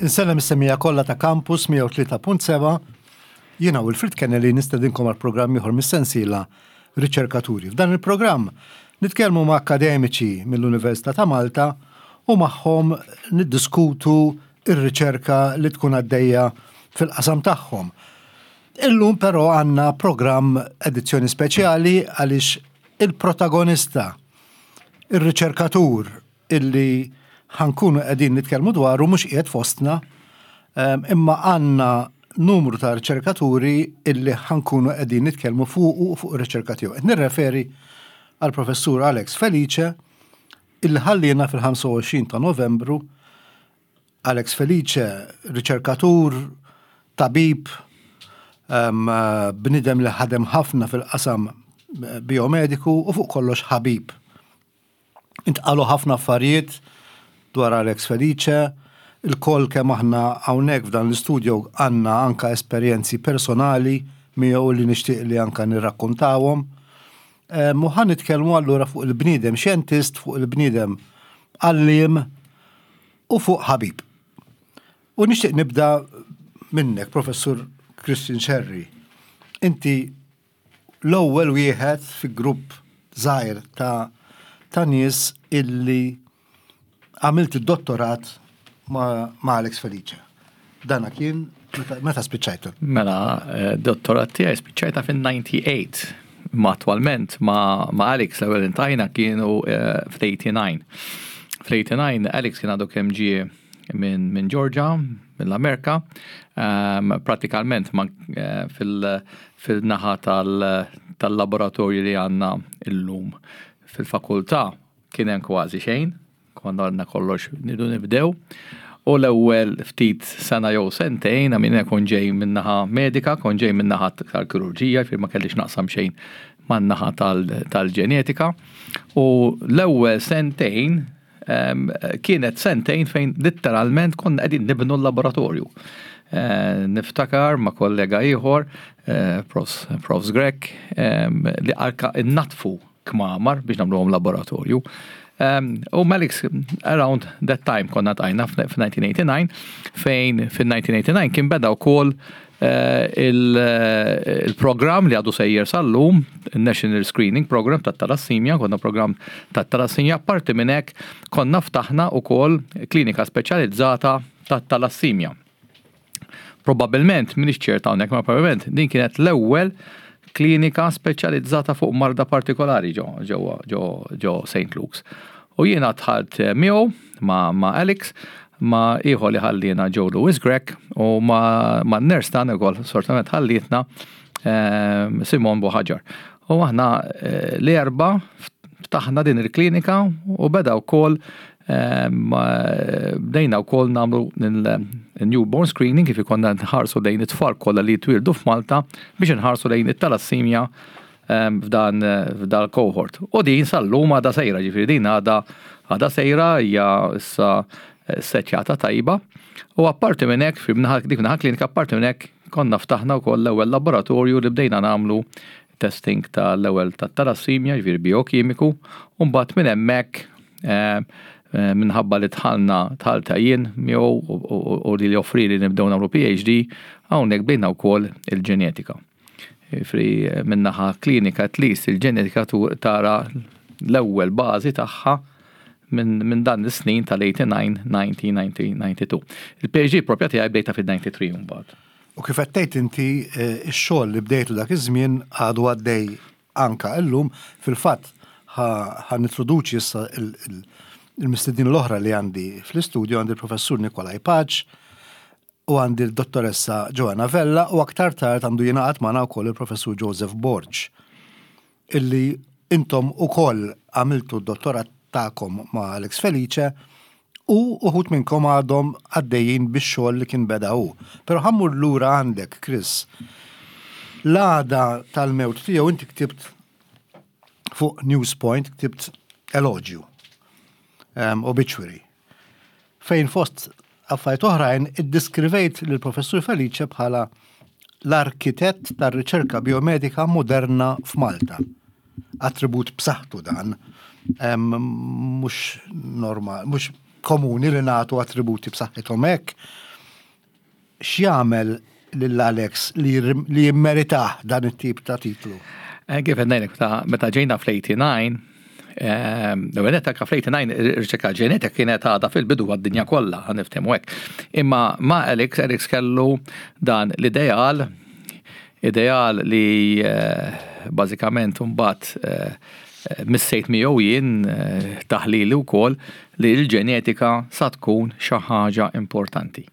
Insellem is-semmiegħa kollha ta' Campus 103.7. Jiena Wilfrid Kennelly nistedinkom għal programm ieħor mis-sensiela Riċerkaturi. F'dan il-programm nitkellmu ma' akkademiċi mill-Università ta' Malta u magħhom niddiskutu r-riċerka li tkun għaddejja fil-qasam tagħhom. Illum però għandna programm edizzjoni speċjali għaliex il-protagonista, ir-riċerkatur illi ħankunu qegħdin nitkellmu dwaru mhux qiegħed fostna, imma għandna numru ta' riċerkaturi illi ħankunu qegħdin nitkellmu fuqu u fuq ir-riċerka tiegħu. Qed nirreferi għal Professur Alex Felice illi ħalliena fil-25 ta' Novembru. Alex Felice, riċerkatur, tabib, bniedem li ħadem ħafna fil-qasam biomediku u fuq kollox ħabib. Intqalu ħafna affarijiet dwar Alex Felice, ilkoll kemm aħna hawnhekk f'dan l-istudio għandna anka esperjenzi personali miegħu li nixtieq li anka nirrakkontawhom. U ħa nitkellmu allura fuq il-bniedem xjentist, fuq il-bniedem għalliem u fuq ħabib. U nixtieq nibda minnek, Professur Christian Scerri. Inti l-ewwel wieħed fi grupp żgħir ta' ta' nies illi għamilt id-dottorat ma', ma Alex Felice. Dana kien meta spiċċajtu? Mela, eh, dottorat tiegħi spiċċajta fin-98. Ma attwalment ma, ma Alex l-ewwel intajna kienu eh, fl-89. Fl-89 Alex kien għadu kemm ġie minn min Georgia, mill-Amerika, um, pratikalment ma, eh, fil-naħa tal-laboratorju li għandna illum fil-fakultà kien hemm kważi xejn, konna għandna kollox nidu nibdew. U l-ewwel ftit sena jew sentejn, għamina kon ġej min-naħa medika, kon ġej min-naħa tal-kirurġija, fir ma kellix naqsam xejn man-naħa tal-ġenetika. U l-ewwel sentejn Kienet sentejn fejn litteralment konna qegħdin nibnu l-laboratorju. Eh, niftakar ma' kollega ieħor, eh, Profs Grek, li arka innatfu kmamar biex nagħmluhom laboratorju. U Malix, around that time konna tajna f-1989, fejn fin-1989 kien beda wkoll Eh, il-programm li għadu sejjer sal-lum, National Screening Program ta' talassimja, konna program ta' talassimja, parti minn hekk konna ftaħna ukoll klinika speċjalizzata ta' talassimja. Probabilment, minix ċert hawnhekk, ma probabbilment din kienet l-ewwel klinika speċjalizzata fuq marda partikolari ġo ġo ġo ġo St. Luke's. U jiena dħalt miegħu ma' ma' Alex ma' ieħor li ħalliena Joe Louis Grech u ma' ma' nurse tagħna wkoll sortament ħallietna ehm, Simon Buħaġar. U aħna eh, l-erba ftaħna din il-klinika u beda wkoll ehm, bdejna wkoll nagħmlu il-newborn screening kif ikonna nħarsu lejn it-tfal kollha li jitwieldu f'Malta biex nħarsu lejn it-talassimja ehm, f'dan f'dal cohort. U din sal-lum għadha sejra, ġifieri din għadha għadha sejra hija issa eh, settjata tajba. U apparti minn hekk, dik naħa klinika, apparti minn hekk konna ftaħna wkoll l-ewwel laboratorju li bdejna nagħmlu testing tal-ewwel tat-talassimja, ġifieri biokimiku, u mbagħad minn hemmhekk eh, eh, minħabba li dħalna dħalta jien miegħu u li joffri li nibdew nagħmlu PhD, hawnhekk bdejna wkoll il-ġenetika. Fri minnaħa klinika at least il-ġenetika tara l-ewwel bażi tagħha minn min dan is-snin tal-89, 90, 90, 92. Il-PhD propja tiegħi bdejta fil-93 mbagħad. U kif qed tgħid inti eh, x-xogħol li bdejtu dak iż-żmien għadu għaddej anka illum, fil-fatt ħa nintroduċi issa il-mistednin l-oħra li għandi fl-istudju għandi l-professur Nikolaj Paċ u għandi l-dottoressa Joanna Vella u aktar tard għandu jingħaqad magħna wkoll il-professur Joseph Borg illi intom ukoll għamiltu d-dottorat tagħkom ma' Alex Felice u uħud minnkom għadhom għaddejjin bix-xogħol li kien beda hu. Però ħa mmur lura għandek, Chris. L-għada tal-mewt tiegħu inti ktibt fuq Newspoint, ktibt eloġju, um, obituary, fejn fost affarijiet oħrajn iddiskrivejt lill-Professur Felice bħala l-arkitett tar-riċerka biomedika moderna f'Malta. Attribut b'saħħtu dan, mhux normal, mhux komuni li nagħtu attributi b'saħħithom hekk. X'jagħmel lil Alex li jimmeritah dan it-tip ta' titlu? Eh, kif qed ngħidlek, meta ġejna fl-89, ehm, l-ewwel nett anke fl-89 ir-riċerka ġenetika kienet għadha fil-bidu għad-dinja kollha, ħa niftehmu hekk. Imma ma' Alex, Alex kellu dan l-ideal, ideal li eh, bażikament mbagħad eh, missejt miegħu jien taħlili wkoll li l-ġenetika sa tkun xi ħaġa importanti.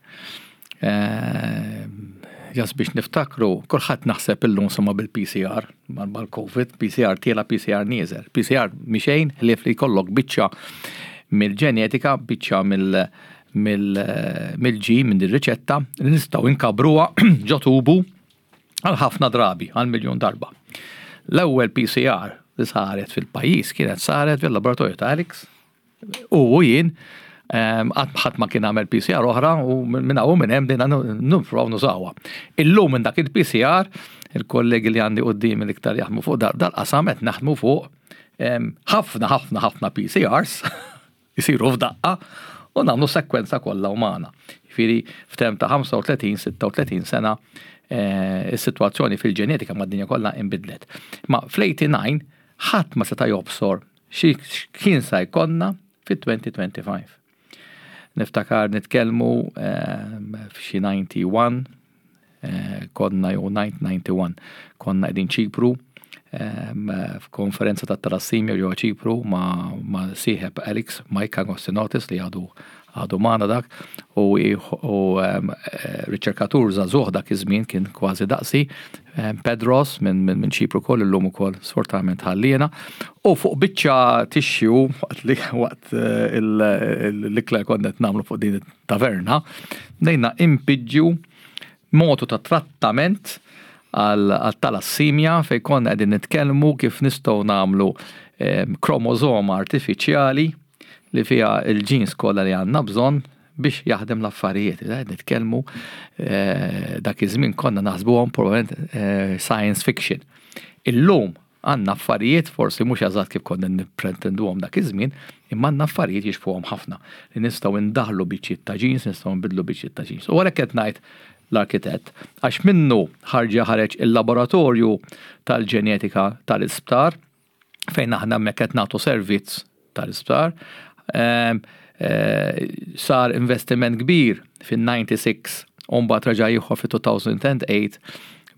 Jas biex niftakru, kulħadd naħseb illum sema bil-PCR, mal-COVID, PCR tiela, PCR nieżel. PCR mixejn ħlief li jkollok biċċa mill-ġenetika, biċċa mill-ġin, minn ir-riċetta, li nistgħu nkabruha ġo tubu għal ħafna drabi, għal miljun darba. L-ewwel PCR li saret fil-pajjiż kienet saret fil-laboratorju ta' Alex U jien qatt ħadd ma kien għamel PCR oħra u minn hawn minn hemm bdejna nifraw nużawha. Illum minn dak il-PCR, il-kollegi li għandi qudiemi l-iktar jaħdmu fuq dal-qasam qed naħdmu fuq ħafna ħafna ħafna PCRs jisiru f'daqqa u nagħmlu sekwenza kollha umana. Jiġifieri f'temp ta' 35-36 sena eh, is-sitwazzjoni fil-ġenetika mad-dinja kollha inbidlet. Ma fl-89 ħadd ma seta' jobsor Xi kien sa jkollna fit-2025. Niftakar nitkellmu ehm, f'xi 91 eh, konna jew 991 konna qegħdin Ċipru ehm, f'konferenza ta' talassimja ġewwa Ċipru ma', ma sieħeb Alex Mike Agostinotis li għadu għadu magħna dak u, u ehm, eh, riċerkatur żagħżugħ dak iż-żmien kien kważi daqsi ehm, Pedros minn min, min Ċipru wkoll illum ukoll sfortunatament ħalliena u fuq biċċa tixju waqt li waqt eh, l-ikla konna qed nagħmlu fuq din it-taverna bdejna impiġġu motu ta' trattament għal talassimja fejn konna qegħdin nitkellmu kif nistgħu nagħmlu ehm, kromosoma artifiċjali li fiha l-ġins kollha li għandna bżonn biex jaħdem l-affarijiet. Qed nitkellmu eh, dak iż-żmien konna naħsbuhom probablement eh, science fiction. Illum għandna affarijiet forsi mhux eżatt kif konna nippretenduhom dak iż-żmien, imma għandna affarijiet jixfuhom ħafna li nistgħu ndaħlu biċċiet ta' ġins, nistgħu nbidlu biċċiet ta' ġins. U għalhekk qed ngħid l-arkitett, għax minnu ħarġa ħareġ il-laboratorju tal-ġenetika tal-isptar, fejn aħna hemmhekk qed nagħtu servizz tal-isptar. Ehm, eh, sar investiment kbir fin-96 u mbagħad reġa' ieħor fi-2008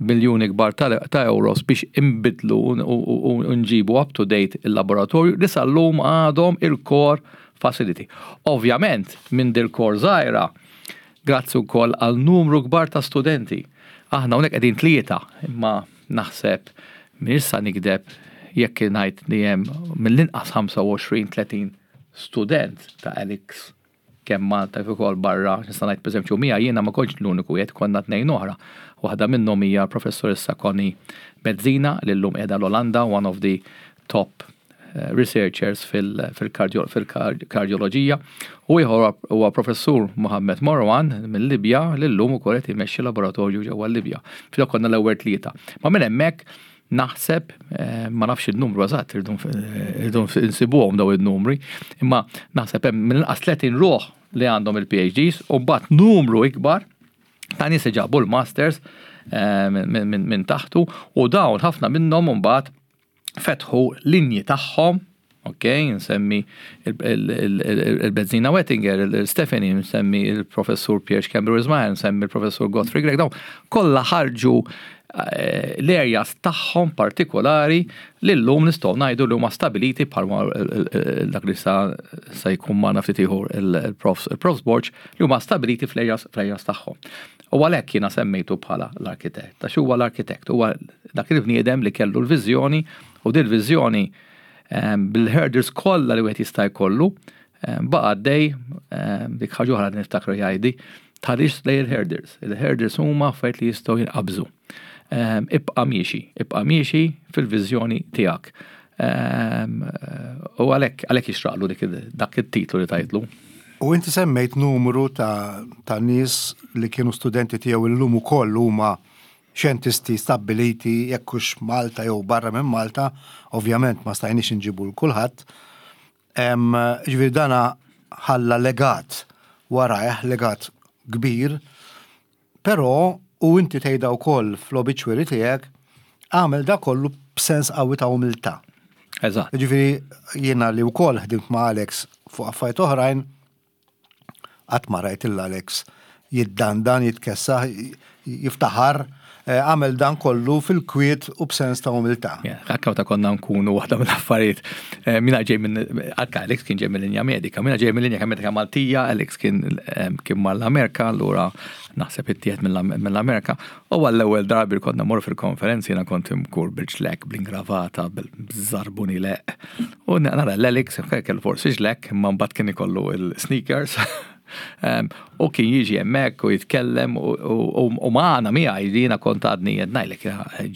biljuni kbar ta' euros biex imbidlu u nġibu up to date il-laboratorju li sal-lum għadhom il-core facility. Ovvjament, minn dil-core żgħira, grazzi wkoll għal numru kbar ta' studenti. Aħna hawnhekk qegħdin tlieta, imma Naħseb, m'iniex sa nigdeb jekk ngħid li hemm mill-inqas 25-30 student ta' Alex kemm Malta kif ukoll barra, nista' ngħid pereżempju miegħi jiena ma kontx l-uniku wieħed, konna tnejn oħra. Waħda minnhom hija l-professoressa Connie Bezzina li llum qiegħda l-Olanda, one of the top researchers fil-kardjoloġija u ieħor huwa professur Mohammed Marwan mill-Libja li llum ukoll qed imexxi laboratorju ġewwa l-Libja. Fil konna l-ewwel tlieta. Ma minn hemmhekk naħseb, eh, ma nafx il-numru eżatt, irridu nsibuhom daw il-numri, imma naħseb hemm mill-inqas 30 ruħ li għandhom il-PhDs u mbagħad numru ikbar ta' nies li ġabu l-masters eh, minn taħtu u dawn ħafna minnhom mbagħad fetħu linji tagħhom, ok, nsemmi il-Bezzina Wettinger, il-Stephanie, nsemmi il-professur Pierre Cameron Ismail, nsemmi il-professur Godfrey Grech, dawn kollha ħarġu eh, l-areas tagħhom partikolari li llum nistgħu ngħidu li huma stabiliti bħal dak li sa jkun magħna ftit ieħor il-Profs Borg li huma stabiliti fl-areas tagħhom. U għalhekk jiena semmejtu bħala l-arkitett, għax huwa l-arkitett, huwa dak il-bniedem li kellu l-viżjoni u dil viżjoni ehm, bil-hurdles kollha li wieħed jista' jkollu ehm, baqa' għaddej ehm, dik ħaġa oħra li niftakru jgħidi tħarix lej il-hurdles. Il-hurdles huma affarijiet li jistgħu jinqabżu. Ibqa' miexi, ibqa' miexi fil-viżjoni tiegħek. U għalhekk għalhekk jixraqlu dak it-titlu li tajtlu. U inti semmejt numru ta', ta nies li kienu studenti tiegħu illum ukoll huma xjentisti stabbiliti jekk hux Malta jew barra minn Malta, ovvjament ma stajniex inġibu l kulħadd. Ġifieri dana ħalla legat warajh, legat kbir. Però, u inti tgħidha wkoll fl-obituary tiegħek, għamel da kollu b'sens qawwi ta' umiltà. Eżatt. Ġifieri jiena li wkoll ħdimt ma' Alex fuq affarijiet oħrajn, qatt ma rajt lil Alex jiddandan, jitkessaħ, jiftaħar, eh, għamel dan kollu fil-kwiet u b'sens ta' umiltà. Anka meta konna nkunu waħda mill-affarijiet, eh, mina ġej minn, anka Alex kien ġej mill-linja medika, mina ġej mill-linja medika Maltija, Alex kien eh, kien mal-Amerika, allura naħseb ittieħed mill-Amerika, u għall-ewwel darbi konna mor fil-konferenzi jiena kont imkur bil-ġlek, bl-ingravata, bil-żarbuni leq. U nara l-Alex, kellu forsi ġlek, imma mbagħad kien ikollu il-sneakers. U kien jiġi hemmhekk u jitkellem u magħna miegħi li jiena kont għadni qed ngħidlek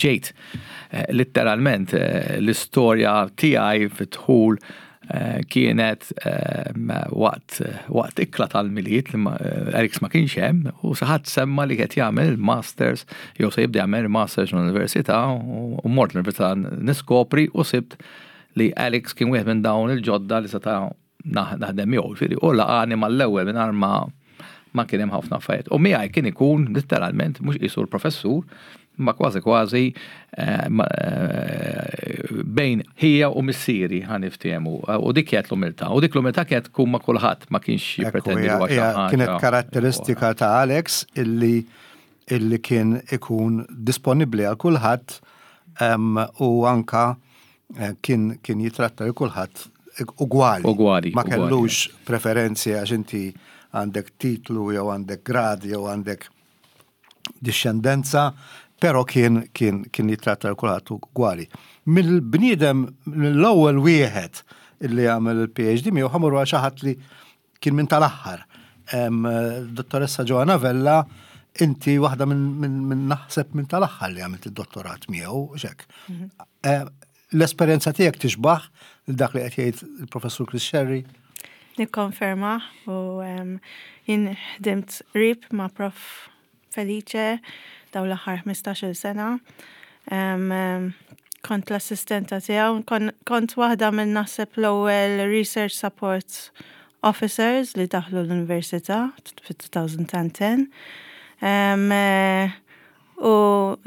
ġejt eh, litteralment eh, l-istorja tiegħi fit-dħul eh, kienet waqt waqt ikla tal-Milied li Alex ma kienx hemm u xi ħadd semma li qed jagħmel il-masters jew se jibda jagħmel il-masters l-università u mort l-università niskopri u sibt li Alex kien wieħed minn dawn il-ġodda li seta' naħdem miegħu, ġifieri, u laqani mal-ewwel mingħajr ma ma kien hemm ħafna affarijiet. U miegħi kien ikun litteralment mhux qisu l-professur, ma kważi kważi eh, eh, bejn ħija u missieri ħa niftehmu. U dik kienet l-umiltà. U dik l-umiltà kienet tkun ma' kulħadd ma kienx jippretendi li huwa Kienet karatteristika ta' Alex illi illi kien ikun disponibbli għal kulħadd u anka eh, kien kien jitratta li kulħadd ugwali. Ugwali. Ma kellux preferenzi għax inti għandek titlu jew għandek grad jew għandek dixxendenza, però kien kien kien jitratta l kulħadd ugwali. Mill-bniedem mill-ewwel wieħed illi għamel il-PhD miegħu ħa mmorru għal xi ħadd li kien minn tal-aħħar. Dottoressa Joanna Vella, inti waħda minn naħseb minn tal-aħħar li għamilt id-dottorat miegħu, xek. Mhm. Eh, l-esperjenza tiegħek tixbaħ dak li qed jgħid il-professur Chris Sherry? Nikkonferma u jien ħdimt qrib ma' Prof Felice dawn l-aħħar 15-il sena. Kont l-assistenta tiegħu, kont waħda minn naħseb l-ewwel research support officers li daħlu l-università fit-2010. U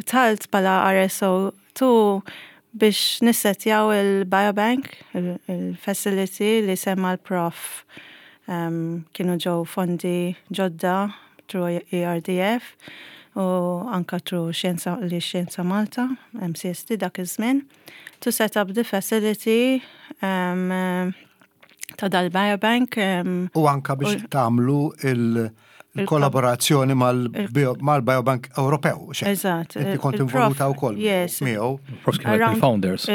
dħalt bħala RSO 2 biex nissetjaw il-biobank, il-facility li semma l-prof. Kienu ġew fondi ġodda through ERDF u anka through Xjenza li Xjenza Malta, MCST dak iż-żmien, to set up the facility um, ta' dal-biobank. Um, u anka biex tagħmlu il- il-kollaborazzjoni mal-Biobank Ewropew. Eżatt. Inti kont involuta wkoll. Yes. Miegħu. Prof kien il-founders.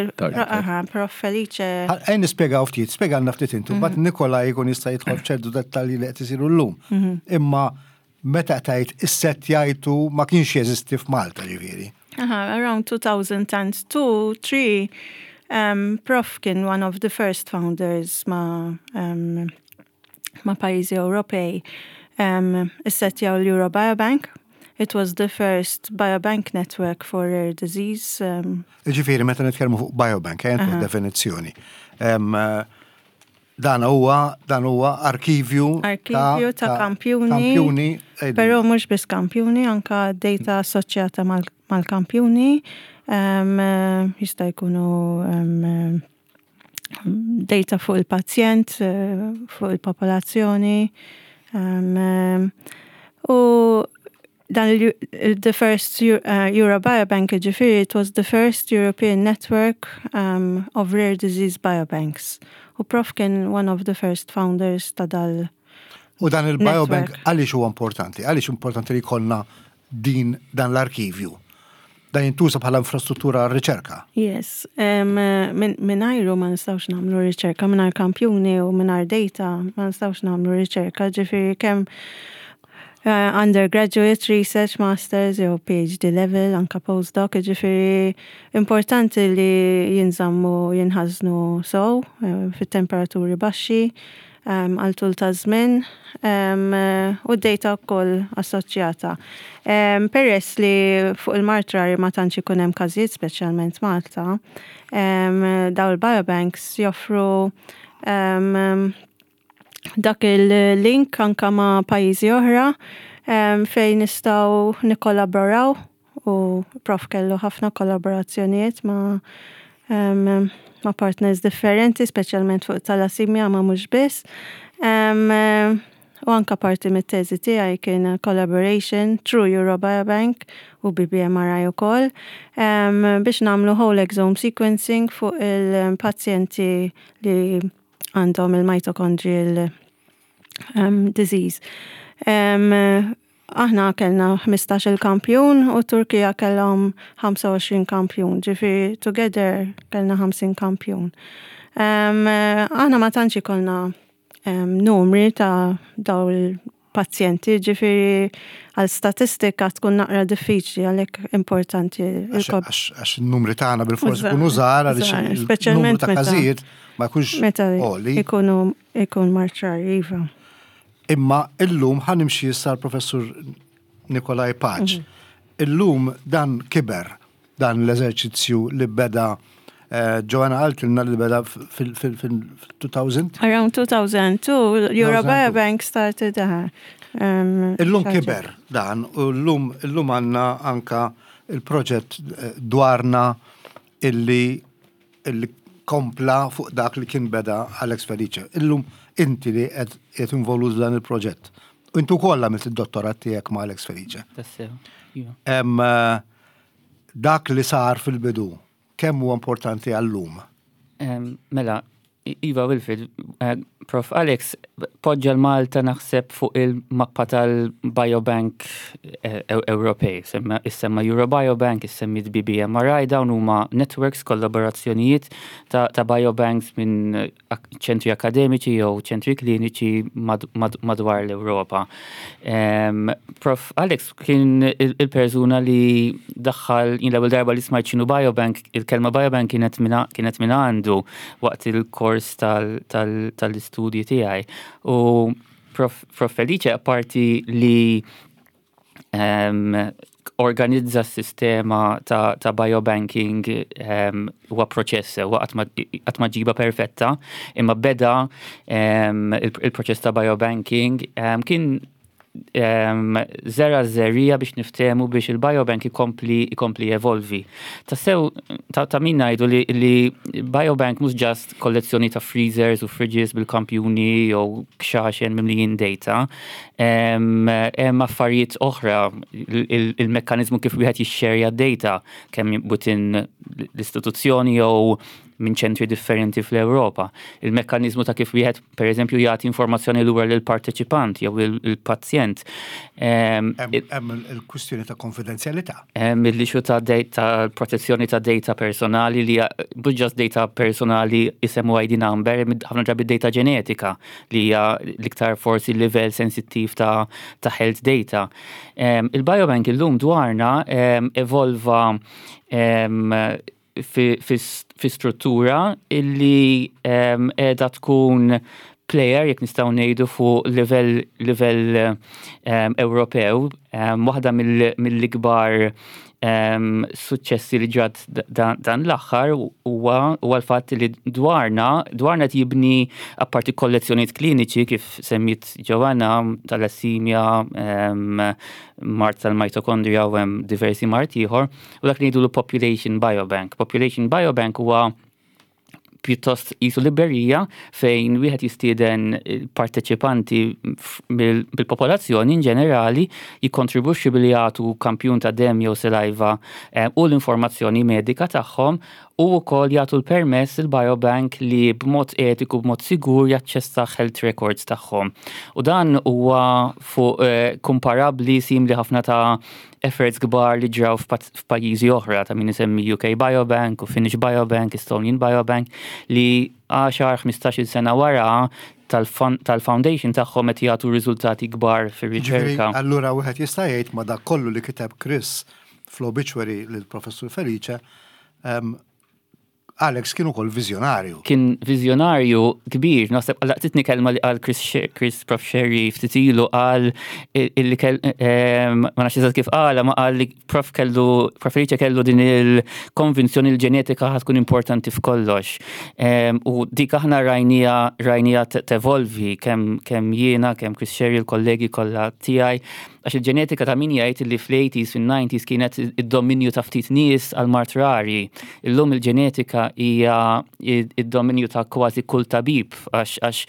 Aha, Prof Felice. Ejn nispjegaw ftit, spjegalna ftit intu, bat mhm. Nikola jkun jista' jidħol f'ċertu dettalji li qed isiru llum. Mhm. Imma meta tajt is-set jgħidu ma kienx jeżisti f'Malta ġifieri. Aha, around 2002, 3, um, Prof kien one of the first founders ma um, ma' pajjiżi Ewropej um, issettjaw l-Euro Biobank. It was the first biobank network for rare disease. Um, Ġifieri, meta nitkellmu fuq biobank, uh -huh. definizzjoni. Um, dan huwa dan huwa arkivju arkivju ta', ta kampjuni, kampjuni però mhux biss kampjuni, anka data assoċjata mal-kampjuni um, jista' jkunu um, data fuq il-pazjent, fuq il-popolazzjoni. Um, u dan the first uh, Eurobiobank ġifiri, it was the first European network um, of rare disease biobanks. U prof kien one of the first founders ta' dal. U dan il-biobank għaliex huwa importanti? Għaliex importanti li jkollna din dan l-arkivju? Dan jintuża bħala infrastruttura għar-riċerka. Yes, mingħajru ma nistgħux nagħmlu riċerka, mingħajr kampjuni u mingħajr data ma nistgħux nagħmlu riċerka, ġifieri kemm eh, undergraduate research, masters jew PhD level, anka postdoc, ġifieri importanti li jinżammu jinħażnu sow eh, fit-temperaturi baxxi għal tul ta' żmien u d-data wkoll assoċjata. Peress li fuq il-mard rari ma tantx ikun hemm każijiet speċjalment Malta, dawn il-biobanks joffru dak il-link anka ma' pajjiżi oħra. fejn nistgħu nikkollaboraw u prof kellu ħafna kollaborazzjonijiet ma' ma' partners differenti, speċjalment fuq thalassemia ma' mhux biss. U anka parti mit-teżi tiegħi kien collaboration through Eurobiobank u BBMRI ukoll biex nagħmlu whole exome sequencing fuq il-pazjenti li għandhom il-mitochondrial disease. Aħna kellna 15 il-kampjun u Turkija kellhom 25 kampjun, ġifieri together kellna 50 kampjun. Aħna ma tantx ikollna numri ta' daw il-pazjenti, ġifieri għal statistika tkun naqra diffiċli, għalhekk importanti. Għax il-numri tagħna bil-fors ikunu żgħar, għaliex speċjalment ta' każijiet ma jkunx meta ikunu ikun marċar, iva. Imma illum ħa nimxi issa l-Professur Nikolaj Paċ. Illum dan kiber, dan l-eżerċizzju li beda Joanna qaltilna li beda fil-2000. Around 2002, Eurobiobank started. Illum kiber dan u llum illum għandna anka il-proġett dwarna illi kompla fuq dak li kien beda Alex Felice. Illum inti li qed involut dan il-proġett. U intu wkoll għamilt id-dottorat tiegħek ma' Alex Felice. Tassew. Iva. Dak li sar fil-bidu, kemm huwa importanti għallum? Mela, Iva Wilfred, Prof. Alex, poġġa l-Malta naħseb fuq il-mappa tal-Biobank Ewropej, issemma Eurobiobank, issemmi BBMRI, dawn huma networks, kollaborazzjonijiet ta' biobanks minn ċentri akademiċi jew ċentri kliniċi madwar l-Ewropa. Prof. Alex kien il-persuna li daħħal, jien l-ewwel darba li smajt x'inhu biobank, il-kelma biobank kienet minn għandu waqt il-kors tal-istudji tiegħi. U Prof Felice, apparti li organizza s-sistema ta' biobanking, huwa proċess, huwa qatt ma ġiba perfetta, imma beda il-proċess ta' biobanking, kien żera żerriegħa biex niftehmu biex il-biobank ikompli evolvi. Tassew ta' min ngħidu li biobank mhux just kollezzjoni ta' freezers u fridges bil-kampjuni jew kxaxen mimlijin data. Hemm affarijiet oħra, il-mekkanizmu kif wieħed jixxerja data kemm within l-istituzzjoni jew minn ċentri differenti fl-Ewropa. Il-mekkanizmu ta' kif wieħed per eżempju jagħti informazzjoni lura lill-parteċipant jew il-pazjent. Hemm il-kwistjoni ta' konfidenzjalità. Hemm il-issue ta' data, protezzjoni ta' data personali li mhux just data personali isem u ID number, ħafna drabi data ġenetika li hija l-iktar forsi livell sensittiv ta' health data. Il-biobank illum dwarna evolva fi struttura illi qiegħda tkun player, jekk nistgħu ngħidu, fuq livell Ewropew. Waħda mill-ikbar suċċessi li ġrat dan l-aħħar huwa l-fatt li dwarna jibni apparti kollezzjonijiet kliniċi kif semmiet Joanna, thalassemia, mard tal-mitokondrija u hemm diversi mard ieħor, u dak li ngħidu l-Population Biobank. Population Biobank huwa pjuttost qisu librerija fejn wieħed jistieden parteċipanti bil-popolazzjoni in ġenerali jikkontribwixxu billi jagħtu kampjun ta' dem jew saliva u l-informazzjoni medika tagħhom u wkoll jagħtu l-permess il-biobank li b'mod etiku, b'mod sigur jaċċessa health records tagħhom. U dan huwa fuq komparabbli, simili ħafna ta' efforts kbar li ġraw f'pajjiżi oħra, ta' min isemmi UK Biobank u Finnish Biobank, Estonian Biobank, li 10-15 sena wara tal-foundation tagħhom qed jagħtu riżultati kbar fir-riċerka. Allura wieħed jista' jgħid ma dak kollu li kiteb Chris fl-obituary lill-Professur Felice, Alex kien ukoll viżjonarju. Kien viżjonarju kbir, naħseb laqtitni kelma li qal Chris, Prof Sherry ftit ilu, qal illi ma nafx eżatt kif qala, ma qal li Prof Felice kellu din il-konvinzjoni l-ġenetika ħa tkun importanti f'kollox. U dik aħna rajnija tevolvi kemm jiena, kemm Chris Sherry, il-kollegi kollha tiegħi. Għax il-ġenetika ta' min jgħid li fl-80s, fil-90s kienet id-dominju ta' ftit nies għal mard rari. Illum il-ġenetika hija id-dominju ta' kważi kull tabib għax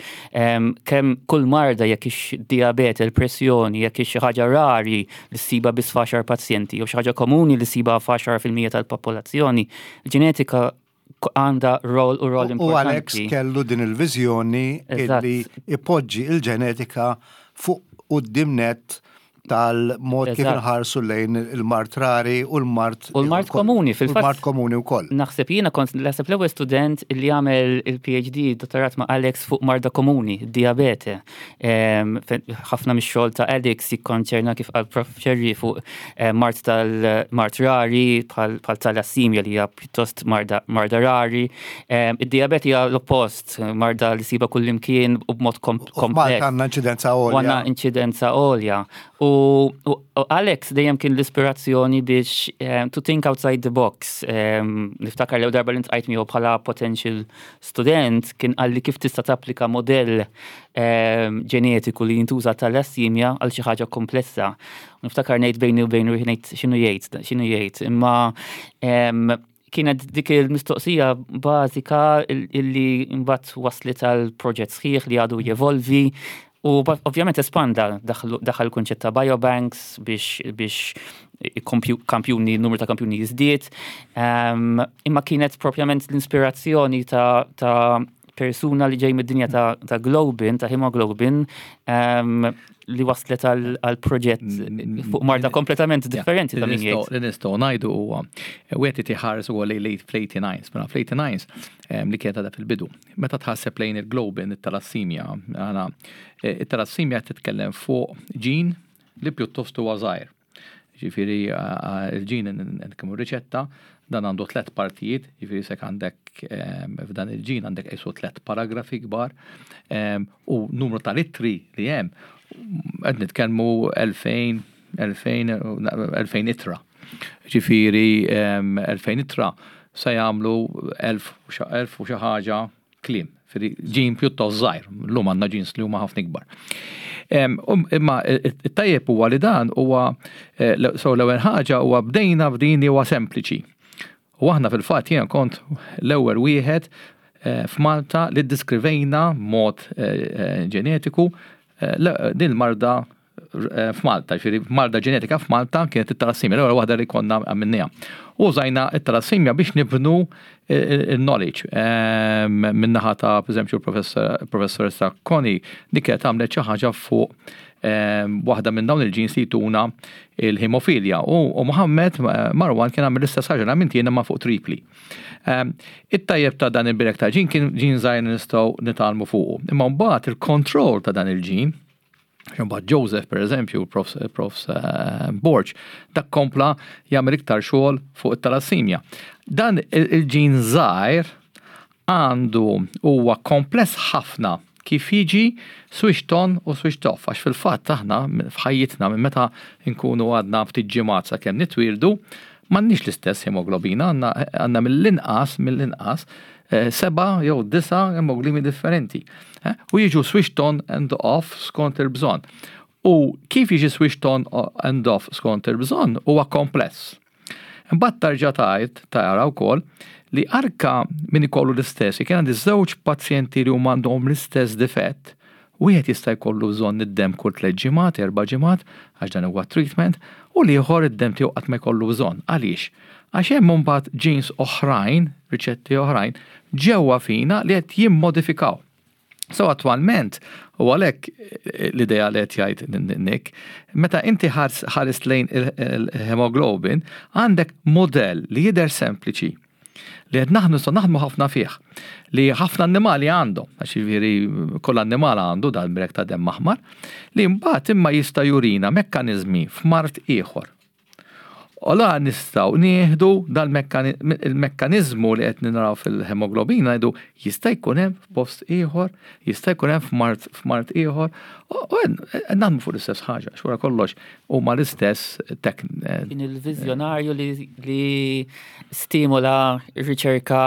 kemm kull marda, jekk ix diabete, il-pressjoni, jekk ix xi ħaġa rari li ssiba biss f'għaxar pazjenti jew xi ħaġa komuni li ssiba f'10% tal-popolazzjoni, il-ġenetika għandha rol u rol U Alex importanti. Kellu din il-viżjoni illi ipoġġi il-ġenetika fuq quddiem net tal-mod kif inħarsu lejn il-mard rari u l-mard U l-mard komuni, fil-fatt. U l-mard komuni wkoll. Naħseb jiena kont naħseb l-ewwel student li għamel il-PhD, dottorat ma' Alex fuq marda komuni, diabete. Ħafna mix-xogħol ta' Alex jikkonċerna, kif qal Prof Scerri, fuq mard tal-mard rari bħal talassimja li hija pjuttost marda rari. Id-diabete hija l-oppost, marda li ssiba kullimkien u b'mod U f'Malta kompless. Għandna inċidenza U għandna għolja. Inċidenza għolja. U Alex dejjem kien l-ispirazzjoni biex to think outside the box. Niftakar l darba li ltqajt miegħu bħala potential student, kien qalli kif tista' tapplika modell ġenetiku li jintuża talassimja għal xi ħaġa komplessa. Niftakar ngħid bejni u bejn ruħi, ngħid x'inhu jgħid, x'inhu jgħid. Imma kienet dik il-mistoqsija bażika illi mbagħad waslet għal proġett sħiħ li għadu jevolvi u ovvjament espanda, daħal kunċett ta' biobanks biex kampjuni, numru ta' kampjuni jiżdied. Imma kienet propjament l-inspirazzjoni ta' persuna li ġej mid-dinja ta' globin, ta' hemoglobin, li waslet għal proġett fuq marda kompletament differenti ta' min jgħid. Li nistgħu ngħidu huwa wieħed iħares ukoll lejn late fl-89, mela fl-89 li kienet għadha fil-bidu. Meta tħasseb lejn il-globin, it-talassimja, għana it-talassimja titkellem fuq ġin li pjuttost huwa żgħir. Ġifieri il-ġin kemm riċetta, dan għandu tlet partijiet, ġifieri sek għandek f'dan il-ġin għandek qisu tlet paragrafi kbar u numru ta' litri li hemm, qed nitkellmu 2000 2000 2000 itra. Ġifieri 2000 itra se jagħmlu 1000 u xi ħaġa kliem. Ġifieri ġin pjuttost żgħir, llum għandna ġins li huma ħafna ikbar. Imma it-tajjeb huwa li dan huwa so l-ewwel ħaġa huwa bdejna b'din li huwa sempliċi. U aħna fil-fatt jien kont l-ewwel wieħed f'Malta li ddiskrivejna mod ġenetiku din il-marda f'Malta, ġifieri marda ġenetika f'Malta kienet it-talassimja, l-ewwel waħda li konna għamilniha. Użajna it-talassimja biex nibnu il-knowledge. Min-naħa ta' per professoressa Connie, dik kienet għamlet xi ħaġa fuq waħda minn dawn il-ġins li jtuna il-hemofilja. U Mohammed Marwan kien għamel l-istess ħaġa li jiena ma fuq tripli. It-tajjeb ta' dan il-birek ta' ġin kien ġin żgħir nistgħu nitgħallmu fuqu. Imma mbagħad il-kontroll ta' dan il-ġin, mbagħad Joseph, per eżempju, Prof Borg, dak kompla jagħmel iktar xogħol fuq it-talassimja. Dan il-ġin żgħir għandu huwa kompless ħafna kif jiġi switched on u switched off, għax fil-fatt aħna f'ħajjitna minn meta nkunu għadna ftit ġimgħat sakemm nitwildu, m'għandniex l-istess hemoglobina, għandna mill-inqas 7 jew 9 hemoglobini differenti. U jiġu switched on and off skont il-bżonn. U kif jiġi switched on and off skont il-bżonn huwa kompless. Imbagħad tarġa' tajt tara wkoll li anka min ikollu l-istess, kien għandi żewġ pazjenti li huma għandhom l-istess difett, wieħed jista' jkollu bżonn id-dem kull 3 ġimgħat, 4 ġimgħat, għax dan huwa treatment, u l-ieħor id-dem tiegħu qatt ma jkollu bżonn. Għaliex? Għax hemm mbagħad genes oħrajn, riċetti oħrajn, ġewwa fina li qed jimmodifikaw. So attualment, u għalhekk l-idea li qed jgħid Nick, meta inti ħares lejn il-hemoglobin, għandek modell li jidher sempliċi li qed naħdmu, nistgħu naħdmu ħafna fih, li ħafna annimali għandhom, għax jiġifieri kull annimal għandu dal-brek ta' demm aħmar, li mbagħad imma jista' jurina mekkaniżmi f'mard ieħor. U la nistgħu nieħdu dal-mekkaniżmu li qed naraw fil-hemoglobina, ngħidu jista' jkun hemm f'post ieħor, jista' jkun hemm f'mard ieħor, u qed naħdmu fuq l-istess ħaġa, x'wara kollox huma l-istess tek. Kien il-vizjonarju li stimola riċerka.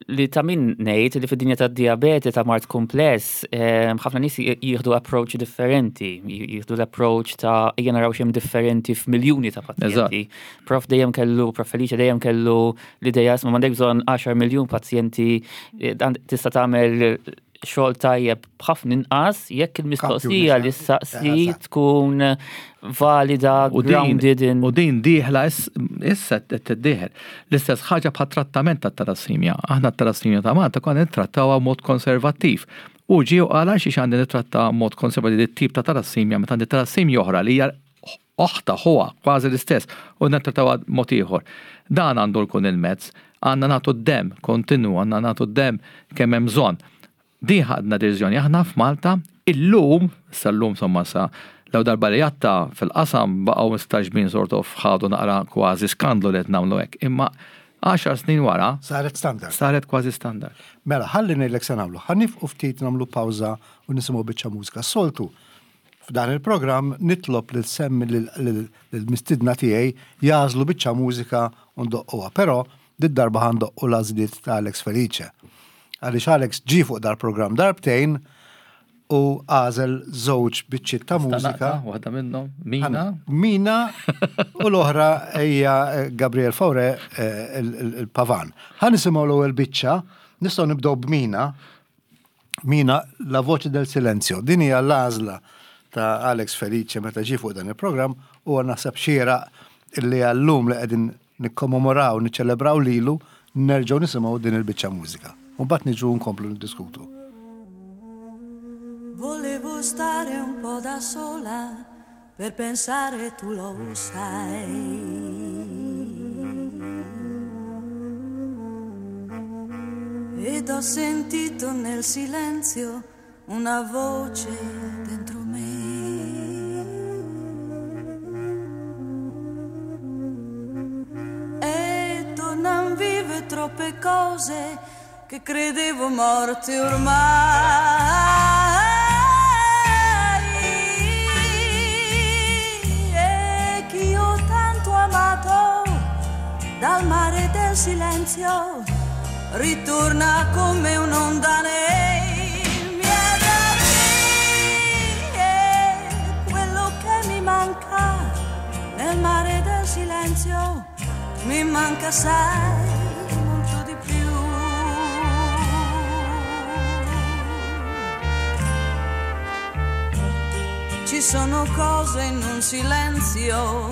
Li ta' min ngħid li fid-dinja tad-dijabete ta' mard kumpless, ħafna nies jieħdu approach differenti, jieħdu l-approach ta' ejja naraw x'hemm differenti f'miljuni ta' pazjenti. Prof dejjem kellu, Prof Felice dejjem kellu l-idea isma' m'għandek bżonn 10 miljun pazjenti, tista' tagħmel xogħol tajjeb b'ħafna inqas jekk il-mistoqsija li ssaqsi tkun valida, grounded in. U din dieħla issa qed tiddieħel. L-istess ħaġa bħat trattament tat-talassimja. Aħna t-talassimja ta' Malta konna nittrattawha mod konservattiv. U ġie u qal għalxiex għandi nittratta mod konservattiv dit-tip ta' talassimja meta għandi talassimja oħra li hija oħtha, ħuha, kważi l-istess, u nittrattawha mod ieħor. Dan għandu jkun il-mezz. Għandna nagħtu d-demm kontinwu, għandna nagħtu d-demm kemm hemm bżonn. Din ħadna deċiżjoni aħna f'Malta, illum, issa llum insomma sa l darba li għatta fil-qasam baqgħu mistaġbin sort of ħadu naqra kważi skandlu li qed nagħmlu hekk. Imma 10 snin wara. Saret standard. Saret kważi standard. Mela, ħalli ngħidlek se nagħmlu. Ħa nifqu ftit nagħmlu pawża u nisimgħu biċċa mużika. Soltu, f'dan il-programm nitlob lil semmi lill-mistiedna tiegħi jagħżlu biċċa mużika u ndoqquha. Però did-darba ħa ndoqqu l-għażliet ta' Alex Felice. Għaliex Alex ġie fuq dal-programm darbtejn u għażel żewġ biċċiet ta' mużika. Waħda minnhom, Mina. Mina u l-oħra hija Gabriel Faure il-Pavan. Ħa nisimgħu l-ewwel biċċa, nistgħu nibdew b'Mina. Mina, La Voce del Silenzio. Din hija l-għażla ta' Alex Felice meta ġie fuq dan il-programm u naħseb xieraq illi għallum li qegħdin nikkommemoraw, niċċelebraw lilu, nerġgħu nisimgħu din il-biċċa mużika. U mbagħad niġu nkomplu niddiskutu. Volevo stare un po' da sola per pensare tu lo sai. Ed ho sentito nel silenzio una voce dentro me. E tornan vive troppe cose che credevo morte ormai. E che io tanto amato dal mare del silenzio ritorna come un'onda nei miei occhi. E quello che mi manca nel mare del silenzio mi manca sai molto di più. Ci sono cose in un silenzio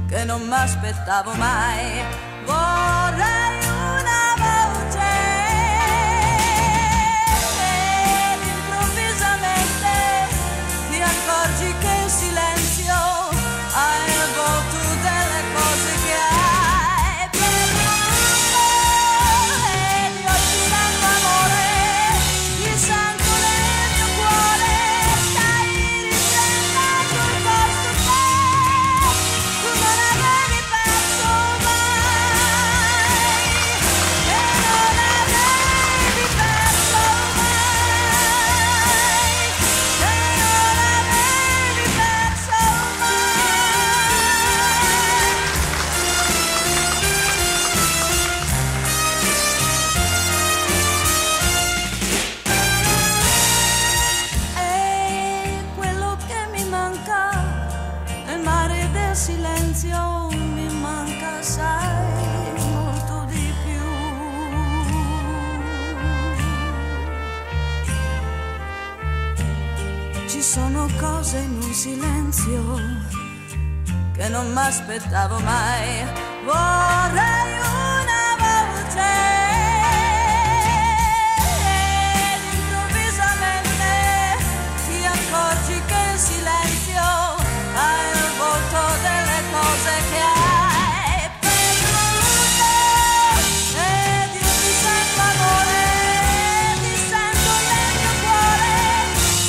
che non m'aspettavo mai. Vorrei una voce ed improvvisamente ti accorgi che il silenzio ha il volto delle cose che hai perduto. Ed io ti sento amore, ti sento nel mio cuore, stai riprendendo il posto che tu non avevi perso mai, che non avevi perso mai, che non avevi perso mai. E quello che mi manca nel mare del silenzio mi manca sai molto di più. Ci sono cose in un silenzio che non m'aspettavo mai. Vorrei una voce ed improvvisamente ti accorgi che il silenzio ha il volto delle cose che hai perduto. Ed io ti sento amore, ti sento nel mio cuore,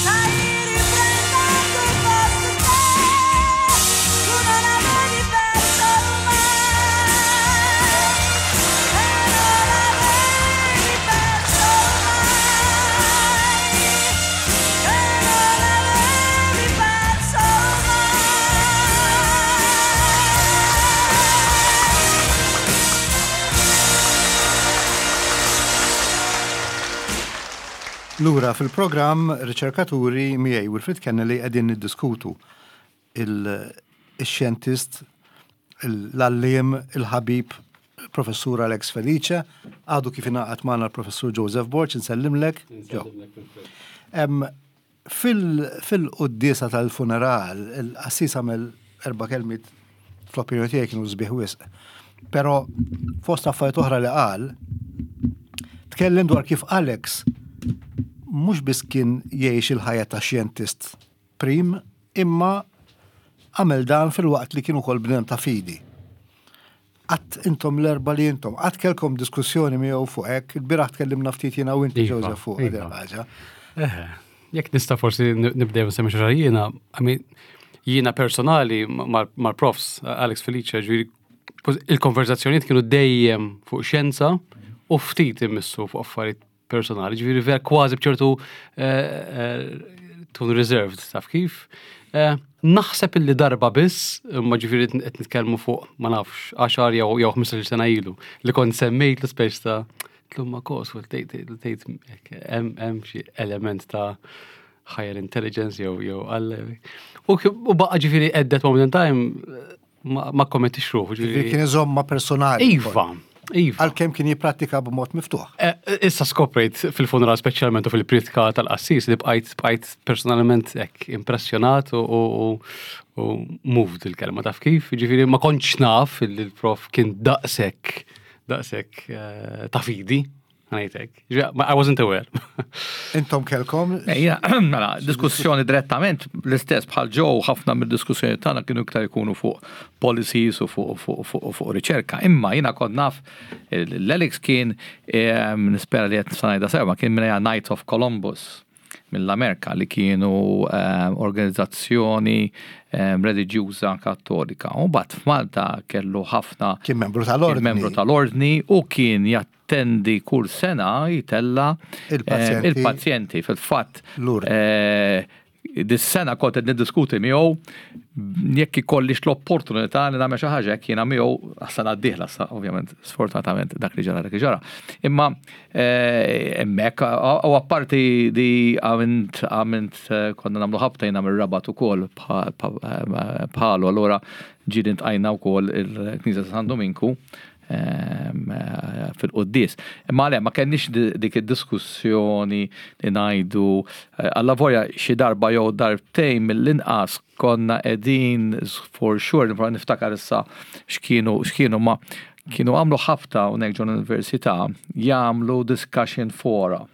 stai riprendendo il posto che tu non avevi perso mai, Lura fil-programm Riċerkaturi miegħi Wilfred Kennelly qegħdin niddiskutu il-xjentist, l-għalliem, il-ħabib Professur Alex Felice, għadu kif ingħaqad magħna l-Professur Joseph Borg, insellimlek. Fil-quddiesa tal-funeral, il-qassis għamel erba' kelmiet fl-opinjoni tiegħi kienu sbieħ wisq. Però fost affarijiet oħra li qal, tkellem dwar kif Alex mhux biss kien jgħix il-ħajja ta' xjentist prim, imma għamel dan filwaqt li kien ukoll bniedem ta' fidi. Qatt intom l-erbgħa li intom, qatt kellkom diskussjoni miegħu fuq hekk, il-bieraħ tkellimna ftit jiena u inti iva, Joseph fuq din iva. ħaġa. Jekk nista' forsi nibdew nsemmi xi jiena, jiena personali mal-profs Alex Felice, ġifieri il-konverzazzjonijiet kienu dejjem fuq xjenza u ftit immissu fuq affarijiet personali, ġifieri vera kważi bċertu eh, eh, tkun reserved, taf kif. Eh, naħseb illi darba biss, ma ġifieri qed nitkellmu fuq ma nafx 10 jew jew 15 sena ilu li kont semmejt l-ispeċ ta' tlumma kos u tgħid hemm xi element ta' higher intelligence jew jew għal. U baqa' ġifieri at that moment in time ma kommettix ruħu. Ġifieri kien iżomma personali. Iva. Iva. Għalkemm kien jipprattika b'mod miftuħ. Eh, issa skoprejt fil-funeral speċjalment u fil-pritka tal-qassis li bqajt bqajt personalment hekk impressjonat u moved il-kelma taf kif. Ġifieri ma kontx naf li l-prof kien daqshekk daqshekk eh, ta' fidi. Ngħidlek. I wasn't aware. Intom kelkom? Ejja, mela, diskussjoni direttament l-istess bħal ġew ħafna mid-diskussjoni tagħna kienu iktar ikunu fuq policies u fuq riċerka. Imma jiena kont naf l-Alex kien ehm, nispera li qed ngħidha sew, kien minn Knights of Columbus mill-Amerika li kienu ehm, organizzazzjoni ehm, reliġjuża kattolika. U bat f'Malta kellu ħafna. Kien membru tal-ordni. Membru tal-ordni u kien jattendi kull sena jtella il-pazjenti. Il-pazjenti fil-fatt. Eh, dis-sena kont qed niddiskuti miegħu jekk ikollix l-opportunità li nagħmel xi ħaġa hekk jiena miegħu għas-sena d-dieħla ovvjament sfortunatament dak li ġara dak li ġara. Imma eh, hemmhekk u apparti di għamilt għamilt eh, konna nagħmlu ħabta jiena mir-Rabat ukoll bħalu allura ġieli ntqajna wkoll il-Knisja ta' San Dominku Ehm, eh, fil-qoddis. Imma le, ma kenniex dik id-diskussjoni li ngħidu eh, alla volja xi darba jew darbtejn mill-inqas konna qegħdin for sure nipprova niftakar issa x'kienu x'kienu ma kienu għamlu ħabta hawnhekk ġol università jagħmlu discussion fora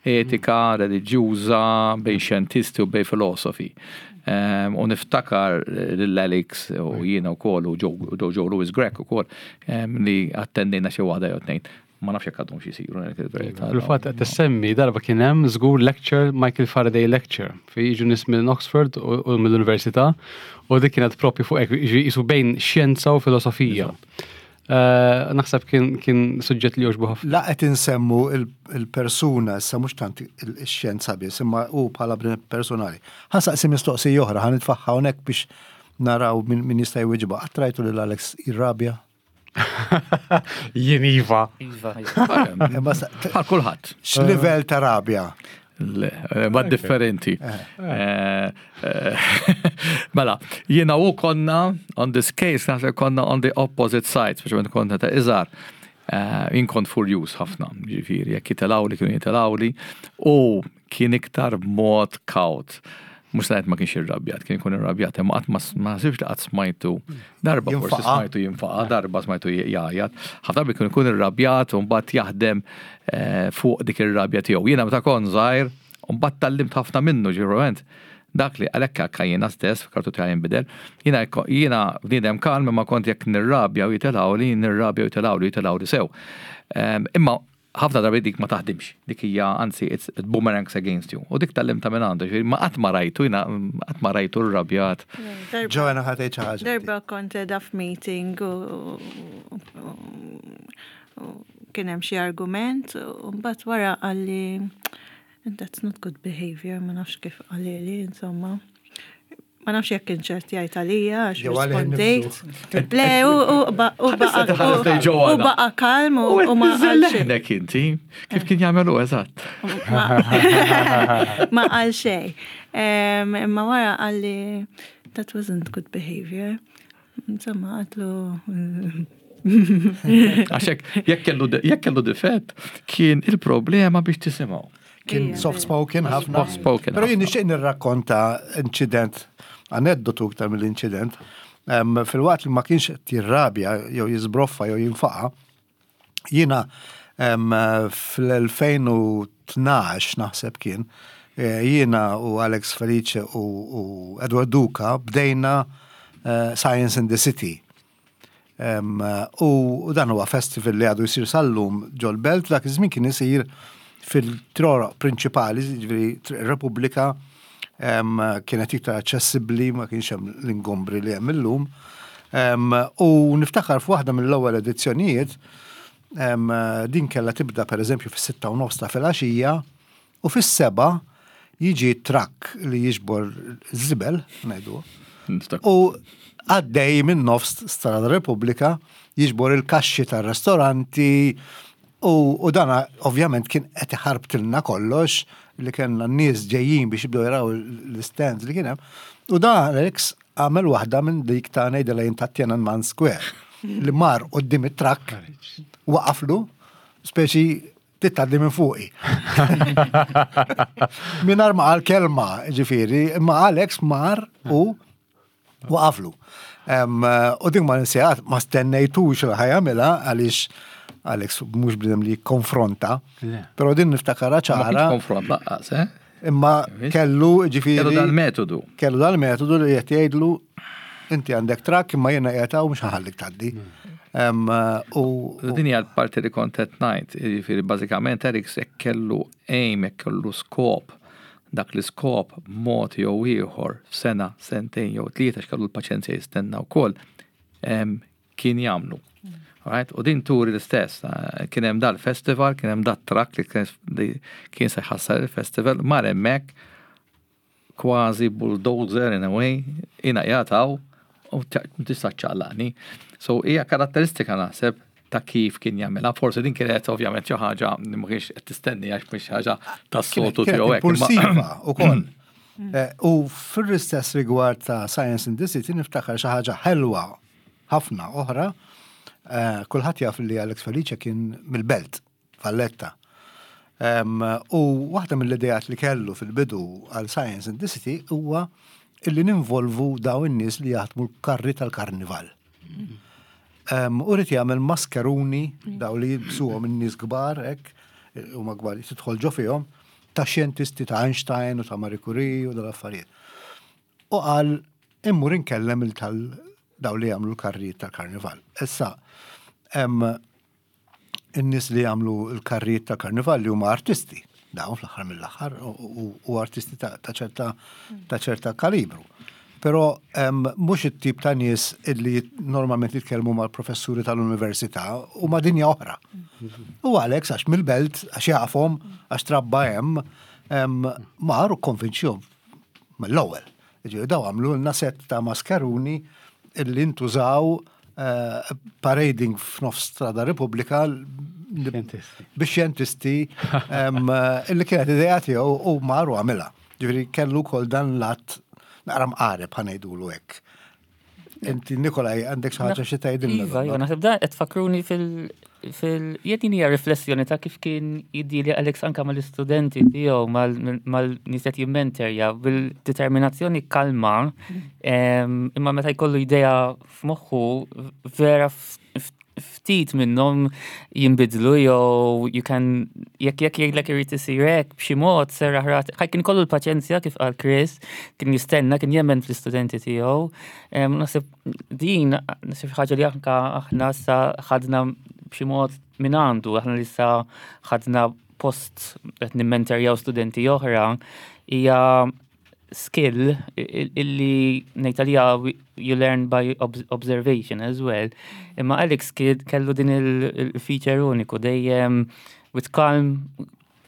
etika reliġjuża bejn xjentisti u bejn filosofi. Ehm, u niftakar lil Alex u jiena wkoll u Joe Louis Grech ukoll ehm, li attendejna xi waħda jew tnejn. Ma nafx jekk għadhom xi jsiru il-verità. Fil-fatt qed tissemmi darba kien hemm żgur lecture Michael Faraday lecture fi jiġu nies minn Oxford u mill-Università u dik kienet propju fuq hekk jisu bejn xjenza u filosofija. Eh, naħseb kien, kien suġġett li joġbu ħafna. La qed insemmu il-persuna, issa mhux tant il-xjenza biss, imma hu bħala personali. Ħa nsaqsi mistoqsija oħra, ħa nitfaħħa hawnhekk biex naraw min jista' jwiġba. Qatt rajtu lil Alex jirrabja? Jien iva. Iva. iva. Bħal kulħadd. X'livell ta' rabja? Le, eh, ma differenti. Eh. Eh, mela, jiena u konna, on this case, naħseb konna on the opposite side, speċjalment konna ta' iżgħar. Jien kont furjuż ħafna, ġifieri, jekk jitelawli kienu jitelawli, u kien iktar b'mod kawt. Mhux ngħid ma kienx irrabjat, kien ikun irrabjat, imma qatt ma naħsibx li qatt smajtu darba forsi smajtu jinfaqa, darba smajtu jgħajjat. Ħafna darbi kien ikun irrabjat u mbagħad jaħdem eh, fuq dik ir-rabja tiegħu. Jiena meta kont żgħir, u mbagħad tgħallimt ħafna minnu ġiverament. Dak li għalhekk anke jiena stess, kartu tiegħi jinbidel, jiena jiena bniedem kalm imma kont jekk nirrabja u jitilgħuli, nirrabja u jitilgħuli, jitilgħuli sew. Ehm, imma ħafna drabi dik ma taħdimx, dik hija anzi it's it boomerangs against you. U dik tgħallimtha minn għandu, ġifieri ma qatt ma rajtu jiena qatt ma rajtu rrabjat. Joanna ħa tgħid xi ħaġa. Darba kont qiegħda f'meeting u kien hemm xi argument u mbagħad wara qalli that's not good behavior, ma nafx kif qalili, insomma. Ma nafx jekk kien ċert jgħid għalija għax rispondejt. Le, u baqa kalm u ma qal xejn. inti, kif kien jagħmelu eżatt. Ma qal xejn. Imma wara qalli that wasn't good behavior. Insomma, għatlu. Għaxek, jekk kellu difett, kien il-problema biex tisimgħu. Kien soft spoken ħafna. Soft spoken. Pero jien nixtieq nirrakkonta incident, aneddotu iktar mill-incident. Fil-waqt li ma kienx qed jirrabja jew jiżbroffa jew jinfaqa, jiena fl-2012 naħseb kien, eh, jiena u Alex Felice u Edward Duca bdejna eh, Science in the City. U dan huwa festival li għadu jsir sal-lum ġol-belt, dak iż-żmien kien isir fil-troroq prinċipali, ġifieri Repubblika, kienet iktar aċċessibbli, ma kienx hemm l-ingombri li hemm illum. U niftakar f'waħda mill-ewwel edizzjonijiet, din kellha tibda pereżempju fis-6 u nofs ta' filgħaxija u fis-7 jiġi trakk li jiġbor żibel, ngħidu. U għaddej minn nofs Strada Repubblika jiġbor il-kaxxi tar-restoranti u dana ovvjament kien qed iħarbtilna kollox li kellna n-nies ġejjin biex jibdew jaraw l-stands li kien hemm. U dan Alex għamel waħda minn dik ta' ngħidilha jien ta' Tiananmen Square li mar quddiem it-trakk waqaflu speċi tgħaddi minn fuqi. Mingħajr ma qal kelma, ġifieri, imma Alex mar u waqaflu. U din ma ninsejat, ma stennejtux li ħa jagħmilha għaliex Alex mhux bniedem li konfronta, pero din niftakara ċara. Konfront lanqas, eh? Imma kellu ġifieri. Kellu dal-metodu. Kellu dal-metodu li qed jgħidlu inti għandek trakk imma jiena qiegħed hawn mhux ħa nħallik tgħaddi. U din hija l-parti li kont qed ngħid, jiġifieri bażikament Alex jekk kellu aim, jekk kellu skop, dak l-iskop mod jew ieħor sena, sentejn jew tlieta x'kellu l-paċenzja jistenna wkoll kien jagħmlu. Right? U din turi l-istess, kien hemm dal-festival, kien hemm dat-trakk li kien se jħassar il-festival, mar hemmhekk kważi bulldozer in a way, jiena jataw u tista' ċċaqlaqni. So hija karatteristika naħseb ta' kif kien jagħmilha. Forsi din kienet ovvjament xi ħaġa li ma kienx qed tistenni għax mhix ħaġa tas-soltu tiegħu hekk. Impulsiva ukoll. U fil-istess rigward ta' Science in the City niftakar xi ħaġa ħelwa ħafna oħra. Kulħadd jaf li Alex Felice kien mill-Belt, Valletta. U waħda mill-idejat li kellu fil-bidu għal Science in the City huwa illi ninvolvu daw in-nies li jaħdmu l-karri tal-karnival. U ried jagħmel maskeruni daw li jilbsuhom in-nies kbar hekk, huma kbar tidħol ġo fihom, ta' xjentisti ta' Einstein u ta' Marie Curie u dal-affarijiet. U qal immur inkellem il tal daw li jagħmlu l-karrijiet tal-karnival. Issa, in-nies li jagħmlu l-karrijiet tal-karnival li huma artisti, dawn fl-aħħar mill-aħħar u artisti ta' ċerta ta' ċerta kalibru. Però mhux it-tip ta' nies illi normalment jitkellmu mal-professuri tal-università u ma' dinja oħra. U Alex għax mill-belt, għax jafhom, għax trabba hemm, mar u konvinċjom mill-ewwel. Ġifieri daw għamlu lna set ta' maskeruni illi ntużaw parading f'nofs Strada Repubblika biex xjentisti illi kienet idea tiegħu u mar u għamilha. Ġifieri kellu kol dan lat naqra mqareb ħa ngħidulu hekk. Inti Nikolaj għandek xi ħaġa xi tgħidilna. Iva, iva, naħseb da qed tfakkruni fil jien hija riflessjoni ta' kif kien jiddili Alex anka mal-istudenti tiegħu mal-nies qed jimmenterja bil-determinazzjoni kalma, imma meta jkollu idea f'moħħu vera ftit minnhom jinbidlu jew you can jekk jgħidlek irid isir hekk b'xi mod serraħ rat. Ħaj kien kollu l-paċenzja kif qal Chris, kien jistenna, kien jemmen fl-istudenti tiegħu. Naħseb din naħseb ħaġa li anka aħna sa ħadna b'xi mod minn għandu, aħna li sa ħadna post qed nimmenterjaw studenti oħra, hija skill illi ngħid għalija you learn by observation as well. Imma Alex kellu din il-feature uniku dejjem with calm.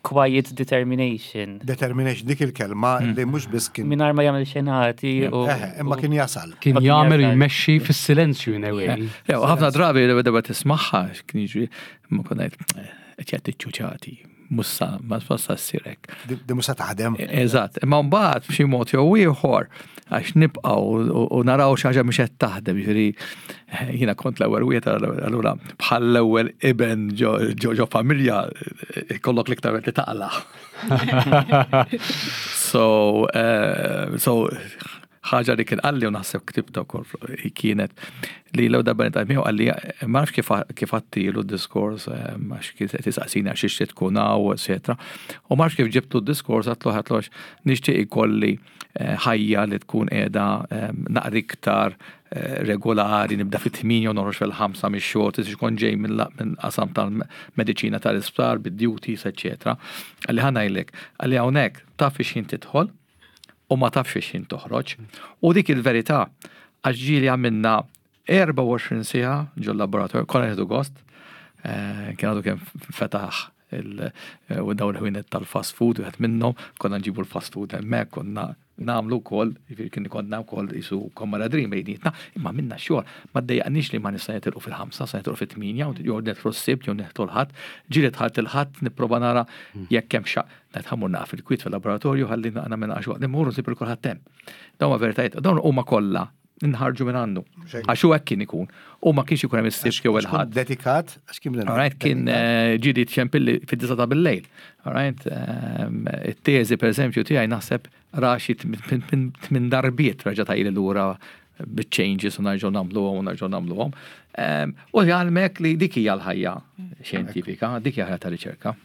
Quiet determination. Determination, dik il-kelma li mhux biss kien. Mingħajr ma jagħmel xenati u. Imma kien jasal. Kien jagħmel u jmexxi fis-silenzju in a way. Ħafna drabi li beda tismagħha kien jiġri ma kont ngħid qed jagħti ċuċati mussa ma tfassa ssirek. Di mussa taħdem. Eżatt, imma mbagħad b'xi mod jew ieħor għax nibqgħu u naraw xi ħaġa mhux qed taħdem, jiġifieri jiena kont l-ewwel wieħed allura bħal l-ewwel iben ġo familja ikollok l-iktar li taqla. So, eh, so ħaġa li kien qalli u naħseb ktibta wkoll kienet li l darba nitqajt miegħu qalli ma nafx kif għattilu d-diskors eh, għax kien qed isaqsini għax ixtieq tkun hawn, eċetera. U ma nafx kif ġibtu d-diskors għatlu għatlu għax nixtieq ikolli eh, ħajja li tkun qiegħda eh, naqra iktar regolari, nibda fit-8 u noħroġ fil-5 mix-xogħol, tista' kont ġej minn qasam tal-mediċina tal-isptar, bid-duties, eċetera. Qalli ħa ngħidlek, qalli hawnhekk taf fiex tidħol, u ma tafx fiex ħin toħroġ. U dik il-verità, għax ġieli għamilna 24 siegħa ġol laboratorju, konna nieħdu gost, eh, kien għadu kemm fetaħ eh, u dawn il-ħwienet tal-fast food, wieħed minnhom, konna nġibu l-fast food hemmhekk, konna nagħmlu wkoll, jiġifieri kien konna wkoll isu kommaradrin bejnietna, imma minna xogħol, ma ddejjaqniex li ma nista' nitilqu fil-5, sa nitilqu fit-8, jew nidħlu s-sibt, jew nidħlu l-ħadd, ġieli dħalt il-ħadd nipprova nara jekk hemm xa Ngħid ħa mmur naqaf il-kwiet fil-laboratorju ħalli nagħmel naqra xogħol. Immur u nsib lil kulħadd hemm. Dawn huma veritajiet, dawn huma kollha nħarġu minn għandu. Għax hu hekk kien ikun. U ma kienx ikun hemm is-sibt jew il-ħadd. Dedikat, għax kien Alright, kien eh, ġieli txempilli fid-disa ta' bil-lejl. Alright, ehm, it-teżi pereżempju tiegħi naħseb raxi tmien darbiet reġa' tajli lura bit-changes u narġgħu nagħmluhom u narġgħu nagħmluhom. Ehm, u jgħalmek li dik hija l-ħajja xjentifika, dik hija ħajja ta' riċerka.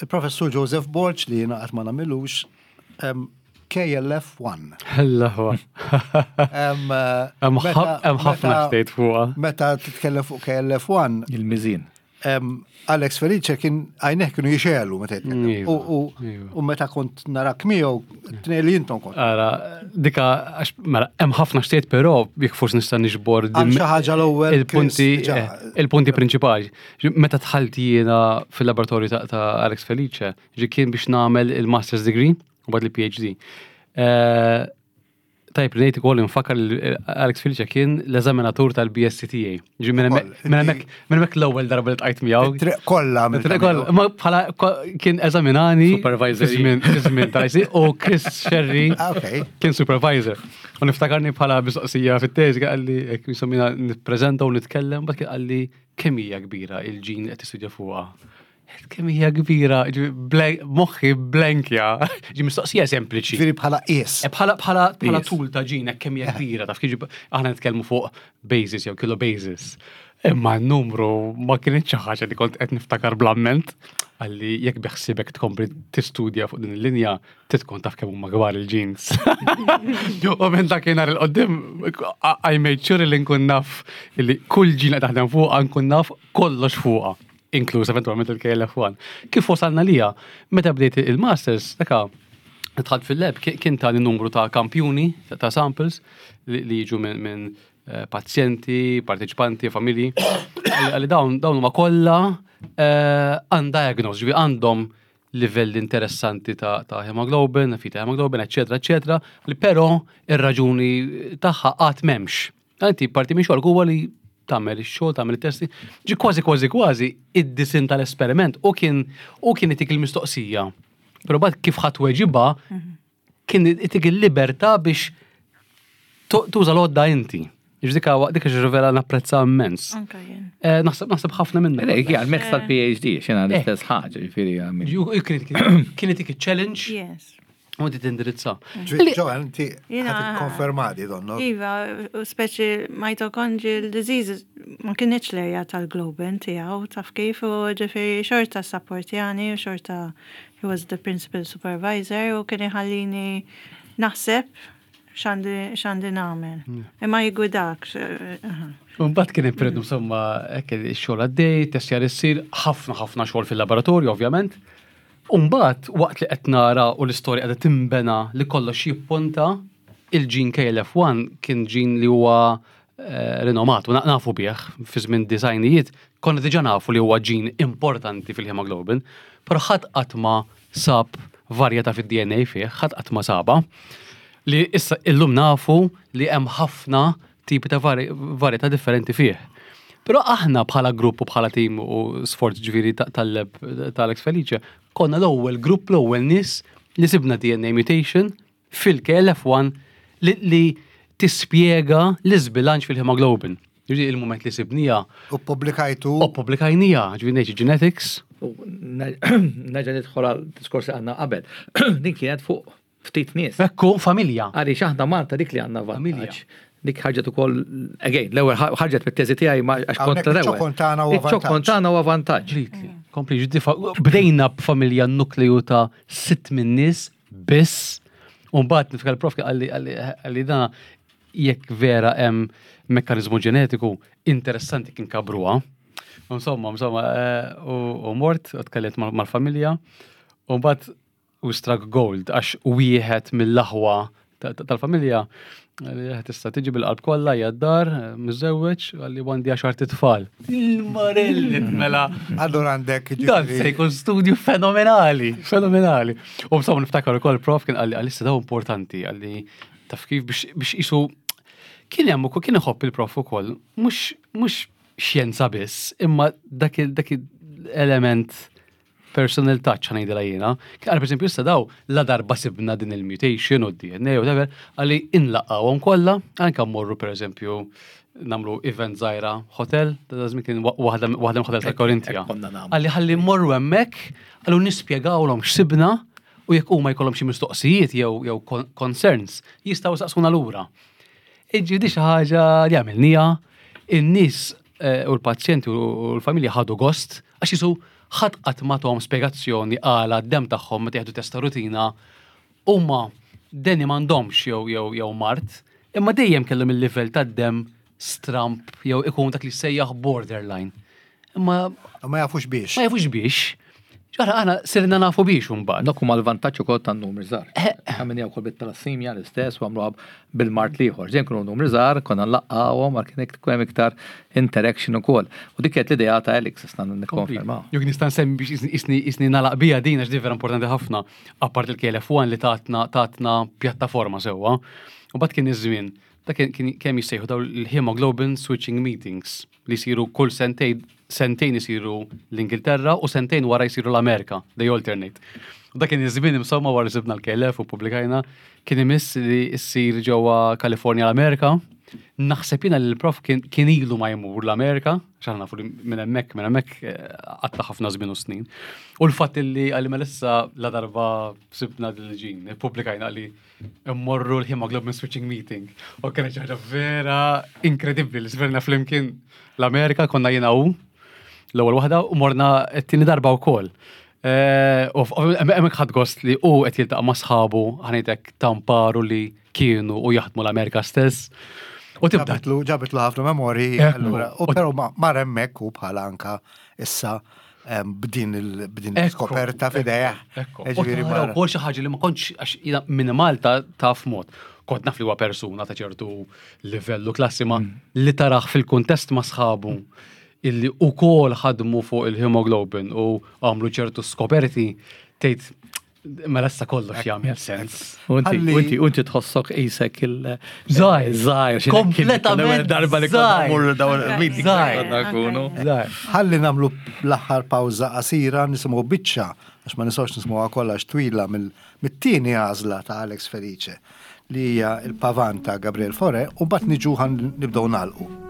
Il-Professur Joseph Borg li jiena qatt ma nagħmilux KLF1. Allaħwa. Hemm ħafna xtejt fuqha. Meta titkellem fuq KLF1. Il-miżin. Alex Felice kien għajneh kienu jixelu meta jitkellem. U meta kont narak miegħu tnej li intom kont. Ara, dika għax mela hemm ħafna xtejt però jekk forsi nista' niġbor xi ħaġa l-ewwel il-punti eh, il-punti prinċipali. Meta dħalt jiena fil-laboratorju ta' Alex Felice, ġi kien biex nagħmel il-Master's Degree u bad il-PhD. Eh, tajb li ngħid ukoll infakkar li eh, Alex Felice kien l-eżaminatur tal-BSc tiegħi. Ġi minn hemmhekk l-ewwel darba li tqajt miegħu. Triq kollha. Triq kollha, ma bħala kien eżaminani. Supervisor. Żmien tal u Chris Sherry ah, kien supervisor. U niftakarni bħala mistoqsija fit-teżi qalli hekk insomma nippreżenta u nitkellem, bat kien qalli Kemm hija kbira il-ġin li qed tistudja fuqha? Kemm hija kbira, moħħi blankja, ġi mistoqsija sempliċi. Ġifieri bħala qies. Eh, bħala bħala bħala tul ta' ġin hekk kemm hija kbira, taf kif aħna nitkellmu fuq basis jew kilo basis. Imma n-numru ma kienx xi ħaġa li kont qed niftakar bl-amment għalli jekk biħsibek tkompli tistudja fuq din il-linja, titkun taf kemm huma kbar il-jeans. U minn dakinhar il-qoddim I made sure li nkun naf li kull ġina taħdem fuqha nkun naf kollox fuqha, inkluż eventwalment il-KLF1. Kif wasalna lija, meta bdejt il-masters, daka dħalt fil-lab kien tani numru ta' kampjuni, ta' samples li jiġu minn eh, pazjenti, parteċipanti, familji. Għalli dawn dawn huma kollha eh, undiagnosed, ġifi għandhom livelli interessanti ta', ta hemoglobin, fita hemoglobin, eccetera, eccetera, li però ir-raġuni tagħha qatt m'hemmx. Inti parti minn xogħol huwa li tagħmel ix-xogħol, tagħmel it-testi, ġi kważi kważi kważi id-disin tal-esperiment u kien u kien itik il-mistoqsija. Però bad kif ħadd weġiba mhm. kien itik il-libertà biex tuża l-għodda inti. Ġdika dik vera napprezza immens. Eh, naħseb naħseb ħafna minna. Dik hija l-mezz tal-PhD, xena eh. l-istess ħaġa, ġifieri Kien itik challenge. Yes. U inti tindirizza. Ġoan, inti konfermati donno. Iva, u speċi mitochondrial disease ma kienx l-erja tal-globin tiegħu taf kif u ġifieri xorta sapportjani u xorta he was the principal supervisor u kien iħallini naħseb x'għandi nagħmel. Imma jigwidak. Mbagħad kien periodu insomma hekk ix-xogħol għaddej, testjar issir, ħafna ħafna xogħol fil-laboratorju ovvjament. Umbagħad waqt li qed nara u l-istorja qiegħda timbena li kollox jipponta il-ġin KLF1 kien ġin li huwa eh, rinomat u nafu bih fi żmien disajnijiet konna diġà nafu li huwa ġin importanti fil-hemoglobin, però ħadd qatt ma sab varjetà fid-DNA fih, ħadd qatt ma saba. Li issa illum nafu li hemm ħafna tipi ta' varjetà differenti fih. Però aħna bħala grupp u bħala tim u sforz ġifieri tal-lab ta' Alex Felice, konna l-ewwel grupp, l-ewwel nies li sibna DNA mutation fil-KLF1 li tispjega l-iżbilanċ fil-hemoglobin. Ġifieri il-mument li sibnija. U ppubblikajtu. U ppubblikajnija, ġifieri Nature Genetics. U nerġa' nidħol għal diskors li għandna qabel. Din kienet fuq ftit nies. Ekku, familja. Għaliex aħna Malta dik li għandna vantaġġ. Dik ħarġet ukoll, again, l-ewwel ħarġet mit-teżi tiegħi ma għax kont l-ewwel. Iċ-ċokon tagħna huwa vantaġġ. Iċ-ċokon tagħna huwa vantaġġ. Kompli, bdejna b'familja nukleju ta' sitt minn nies biss. U mbagħad niftakar il-prof qalli qalli dana jekk vera hemm mekkaniżmu ġenetiku interessanti kien kabruha. Insomma, insomma, eh, u mort, u tkellimt mal-familja, u mbagħad u struck gold għax wieħed mill-aħwa tal-familja li tista' tiġi bil-qalb kollha hija d-dar, miżewweġ, għalli għandi għaxar titfal. Il-marelli mela. Allura għandek Dan se jkun studju fenomenali, fenomenali. U b'somma niftakar ukoll prof kien qalli għalissa daw importanti għalli taf kif biex isu kien hemm ukoll kien iħobb il-prof ukoll, mhux xjenza biss, imma dak element personal touch ħanejdilha jiena. Għal pereżempju issa daw la darba sibna din il-mutation u d-DNA u whatever, għalli inlaqgħuhom kollha, anke mmorru pereżempju namlu event żgħira hotel, ta' żmien kien waħda waħda hotel ta' Korintia. Għalli ħalli mmorru hemmhekk, għallu nispjegawlhom x'sibna u jekk huma jkollhom xi mistoqsijiet jew jew concerns, jistgħu saqsuna lura. Iġġifieri xi ħaġa li għamilnija, in-nies eh, u l-pazjenti u l-familja ħadu gost għax jisu ħadd qatt ma tahom spjegazzjoni għala d-demm tagħhom meta jieħdu testa rutina huma deni m'għandhomx jew jew jew mard, imma dejjem kellhom il-livell tad-demm stramp jew ikun dak li sejjaħ borderline. Imma Ma jafux biex. Ma jafux biex. Ġara aħna sirna nafu biex imbagħad. Dak huma l-vantaġġ ukoll tan-numri żgħar. Għamilniha wkoll bit-talassimja l-istess u għamluha bil-mard l-ieħor. Ġejn kienu numri żgħar, konna nlaqqgħuhom għal kien ikun hemm iktar interaction ukoll. U dik kienet l-idea ta' Alex issa nikkonfermaw. Jekk nista' nsemmi biex isni isni nagħlaq bija din għax di vera importanti ħafna, apart il-KLF1 li tatna tatna pjattaforma sewwa. U mbagħad kien iż-żmien, dak kien kemm jissejħu dawn il-hemoglobin switching meetings. li jsiru kull sentejn, sentejn isiru l-Ingilterra u sentejn wara jsiru l-Amerika, they alternate. U dak kien iż-żmien insomma wara sibna l-KLF u publikajna, kien imiss li ssir ġewwa Kalifornja l-Amerika. Naħseb jiena li l-prof kien ilu ma jmur l-Amerika, x'aħna nafu li minn hemmhekk minn hemmhekk eh, qatta ħafna żmien u snin. U l-fatt li għalli melissa la darba sibna dil-ġin, publikajna li immorru l-hemoglobin switching meeting. U kienet xi ħaġa vera inkredibbli li sverna flimkien l-Amerika konna jiena u l-ewwel waħda u morna t-tieni darba wkoll. Eh, u hemmhekk ħadd gost li hu qed jiltaqa' ma' sħabu ħanejtek tamparu li kienu u jaħdmu l-Amerika stess. U tibda. Ġabitlu ħafna memorji, allura. U però mar hemmhekk u bħala anka issa b'din il-skoperta f'idejh. Ġifieri wkoll xi ħaġa li ma kontx għax jiena minn Malta taf mod. Kont naf li huwa persuna ta' ċertu livellu klassi ma mm. li taraħ fil-kuntest ma' sħabu illi ukoll ħadmu fuq il-hemoglobin u għamlu ċertu skoperti tgħid Mela issa kollox jagħmel sens. Unti unti tħossok qisek il Żgħir, żgħir, kompletament darba li konna mmorru dawn il-meeting konna nkunu. Ħalli nagħmlu l-aħħar pawża qasira nisimgħu biċċa għax ma nistgħux nisimgħuha kollha twila mit-tieni għażla ta' Alex Felice li hija il-pavan ta' Gabriel Fore u mbagħad niġu nibdew nagħlqu.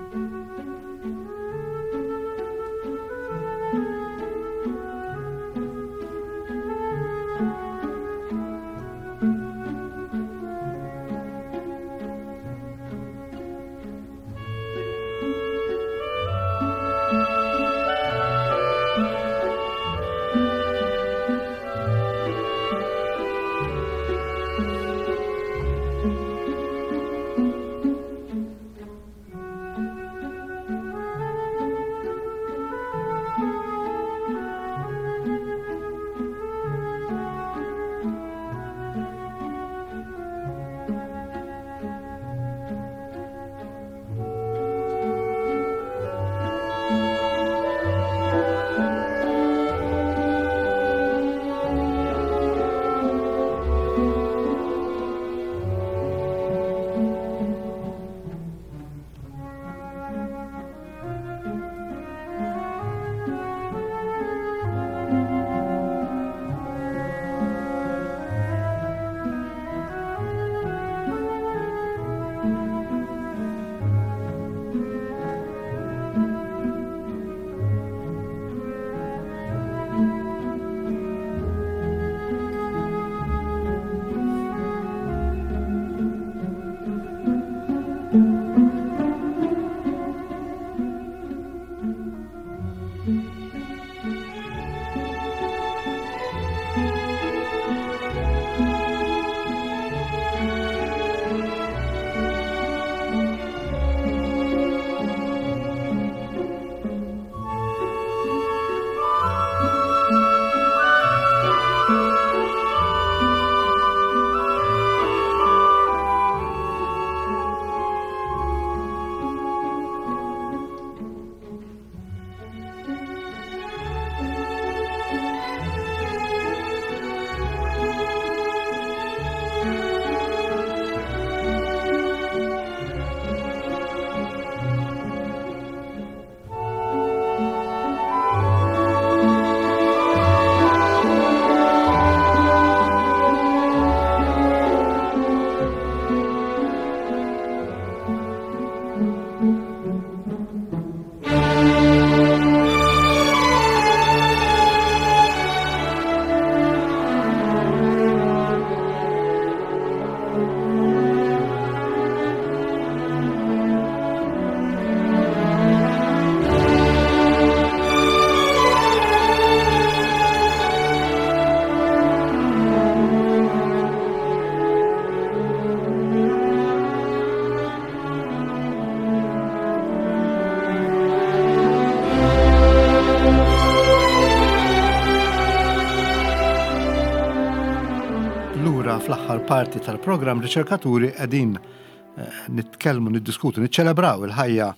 fl-aħħar parti tal-programm Riċerkaturi qegħdin eh, nitkellmu, niddiskutu, niċċelebraw il-ħajja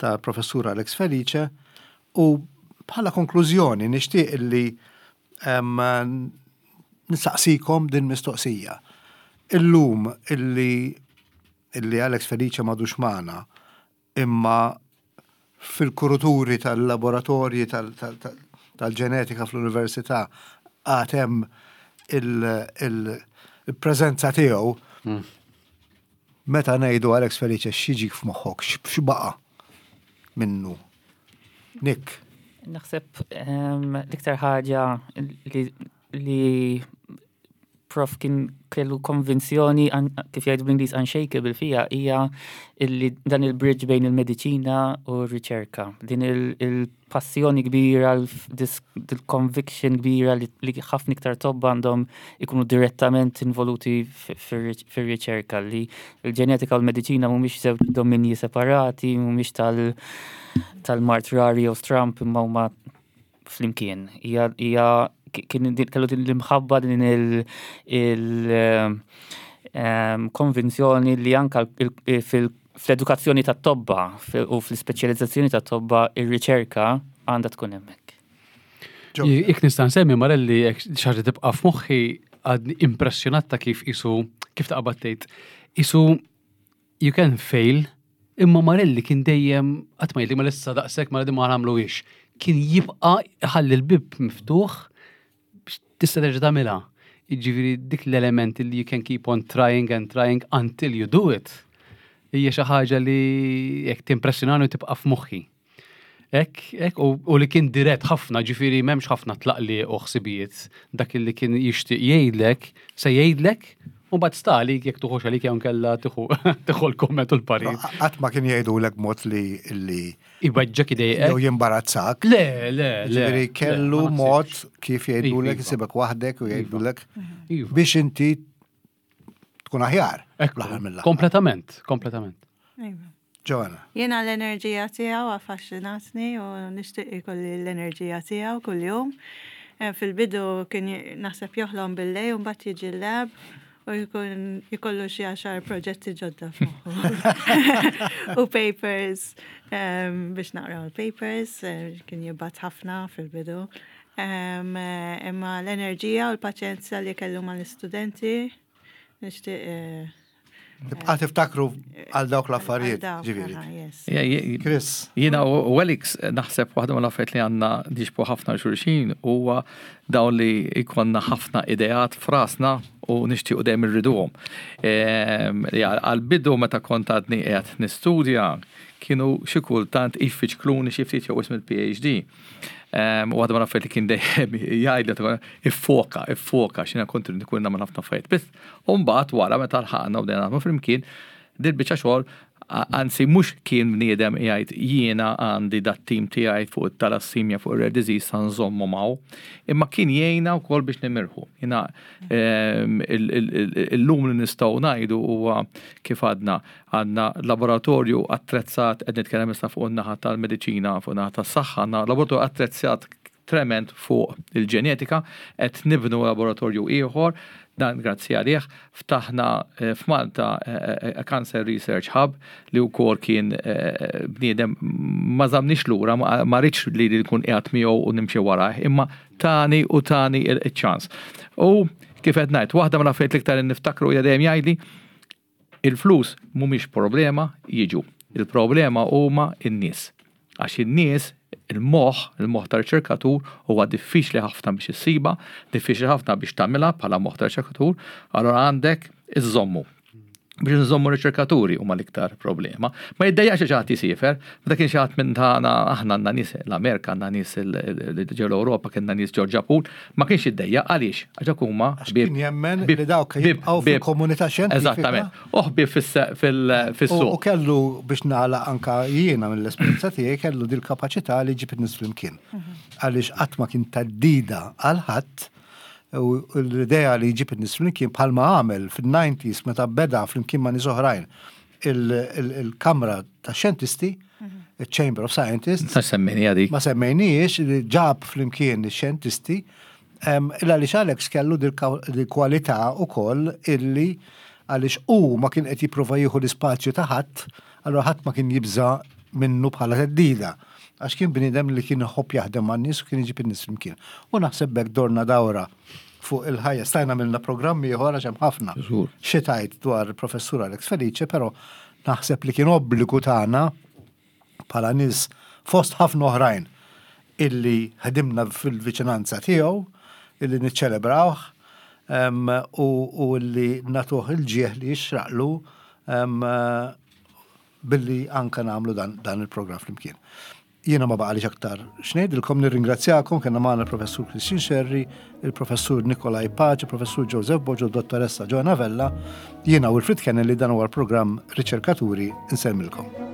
ta' professur Alex Felice u bħala konklużjoni nixtieq illi nistaqsikom din mistoqsija. Illum illi illi Alex Felice m'għadux magħna imma fil-kuruturi tal-laboratorji tal-ġenetika fl-università għad hemm il-preżenza tiegħu. Meta ngħidu Alex Felice x'jiġik f'moħħok, x'baqa' minnu? Nick. Naħseb l-iktar ħaġa li prof kien kellu konvinzjoni kif jgħidu bl-Ingliż unshakable fija hija illi dan il-bridge bejn il-mediċina u r-riċerka. Din il-passjoni kbira, il-conviction kbira li ħafna iktar tobba għandhom ikunu direttament involuti fir-riċerka li l-ġenetika u l-mediċina mhumiex żewġ dominji separati, mhumiex tal-mard rari jew stramp imma huma flimkien. Hija kien kellu din l-imħabba din il-konvinzjoni li anka fl-edukazzjoni tat-tobba u fl-ispeċjalizzazzjoni tat-tobba ir-riċerka għandha tkun hemmhekk. Jekk nista' nsemmi Marelli jekk xi ħaġa tibqa' f'moħħi għadni impressjonat ta' kif isu kif taqbad tgħid isu you can fail, imma Marelli kien dejjem qatt ma jgħidli ma issa daqshekk ma ma nagħmluhiex. Kien jibqa' ħalli l-bib miftuħ biex tista' terġa' tagħmilha. Jiġifieri dik l-element li you can keep on trying and trying until you do it. Hija xi ħaġa li jekk timpressjonani u tibqa' f'moħħi. Ek, ek, u li kien dirett ħafna, ġifiri memx ħafna tlaqli u ħsibijiet, dak li kien jixtieq jgħidlek, se jgħidlek, u bad stali jekk tuħux għalik jew kella tieħu l-komment u l-parir. Qatt ma kien jgħidulek mod li li Iweġġek idejqek. Jew jimbarazzak. Le, le, le. Ġifieri kellu mod kif jgħidulek Iva. isibek waħdek u jgħidulek Iva. biex inti tkun aħjar. Ekku, L-aħħar mill-aħħar. Kompletament, kompletament. Iva. Joanna. Jiena l-enerġija tiegħu affaxxinatni u nixtieq ikolli l-enerġija tiegħu kuljum. Eh, Fil-bidu kien naħseb joħlom bil-lej u mbagħad jiġi l-lab u jkun jkollu xi għaxar proġetti ġodda f'moħħu. U papers biex naqraw il-papers, eh, kien jibgħat ħafna fil-bidu. Eh, Imma l-enerġija u l-paċenzja li kellu mal-istudenti nixtieq eh, Tibqa' tiftakru għal dawk l-affarijiet, ġifieri. Chris. Jiena u Alex naħseb waħda mill-affarijiet li għandna nixbu ħafna xulxin huwa dawn li jkollna ħafna ideat f'rasna u nixtiequ dejjem irriduhom. Ehm, għal-bidu meta kont għadni qiegħed nistudja kienu xi kultant jfiċkluni xi ftit jew ism il-PhD. Ehm, u għadha ma affarijiet li kien dejjem jgħidli iffoka, iffoka, x'ina kont nkun nagħmel ħafna affarijiet. Biss u mbagħad wara meta lħaqna u bdejna naħdmu flimkien, dil-biċċa xogħol anzi mhux kien bniedem jgħid jiena għandi dat-tim tiegħi fuq it-talassimja fuq ir-rare disease sa nżommu maw, imma kien jgħinna wkoll biex nimirħu. Jiena ehm, illum li nistgħu ngħidu huwa kif għadna Għandna laboratorju attrezzat, qed nitkellem issa fuq in-naħa tal-mediċina, fuq in-naħa tas-saħħa, għandna laboratorju attrezzat trement fuq il-ġenetika, qed nibnu laboratorju ieħor, dan grazzi għalih, ftaħna eh, f'Malta eh, eh, Cancer Research Hub li wkoll kien bniedem ma żamniex lura, ma rridx li nkun qiegħed miegħu u nimxi warajh, imma tani u tani il-ċans. U kif qed ngħid, waħda mill-affarijiet l-iktar niftakru hija dejjem jgħidli Il-flus mhumiex problema, jiġu. Il-problema huma n-nies. Għax in-nies, il-moħħ, il-moħħ ta' riċerkatur huwa diffiċli ħafna biex issibha, diffiċli ħafna biex tagħmilha bħala moħħ ta' riċerkatur, allura għandek iżżommu. Biex nżommu riċerkaturi huma l-iktar problema. Ma jiddejjaqx xi ħadd jisiefer, meta kien xi ħadd minn tagħna aħna għandna nies l-Amerika, għandna nies ġew l-Ewropa, kienna nies ġew Ġapun, ma kienx jiddejjaq għaliex? Għax dak huma Għax kien jemmen li dawk jibqgħu fil-komunità xjentifika. Eżattament. U ħbieb fis-suq. U kellu biex nagħlaq anka jiena mill-esperjenza tiegħi kellu dil-kapaċità li jġib in-nies flimkien. Għaliex qatt ma kien theddida għal ħadd u l-idea li jġib in-nies flimkien bħalma għamel fin-90s meta beda flimkien ma' nies oħrajn il-Kamra ta' Xjentisti, il-Chamber of Scientists. Ma semmejnija dik. Ma semmejnijiex, li ġab flimkien ix-xjentisti. Illa għaliex Alex kellu dil-kwalità ukoll illi għaliex hu ma kien qed jipprova jieħu l-ispazju ta' ħadd, allura ħadd ma kien jibża' minnu bħala theddida. Għax kien bniedem li kien iħobb jaħdem man-nies u kien iġib in-nies flimkien. U naħseb b'hekk dorna dawra fuq il-ħajja. Stajna għamilna programm ieħor għax hemm ħafna xi tgħid dwar il-Professur Alex Felice, però naħseb li kien obbligu tagħna bħala nies fost ħafna oħrajn illi ħdimna fil-viċinanza tiegħu, illi niċċelebrawh u illi nagħtuh il-ġieħ li jixraqlu billi anka nagħmlu dan il-programm flimkien. Jiena ma baqalix aktar x'ngħidilkom, nirringrazzjakom, kellna magħna l-Professur Christian Scerri, il-Professur Nikolai Pace, il-Professur Joseph Boġo, dottoressa Joanna Vella, jiena Wilfred Kennelly dan huwa l-programm Riċerkaturi nsellmilkom.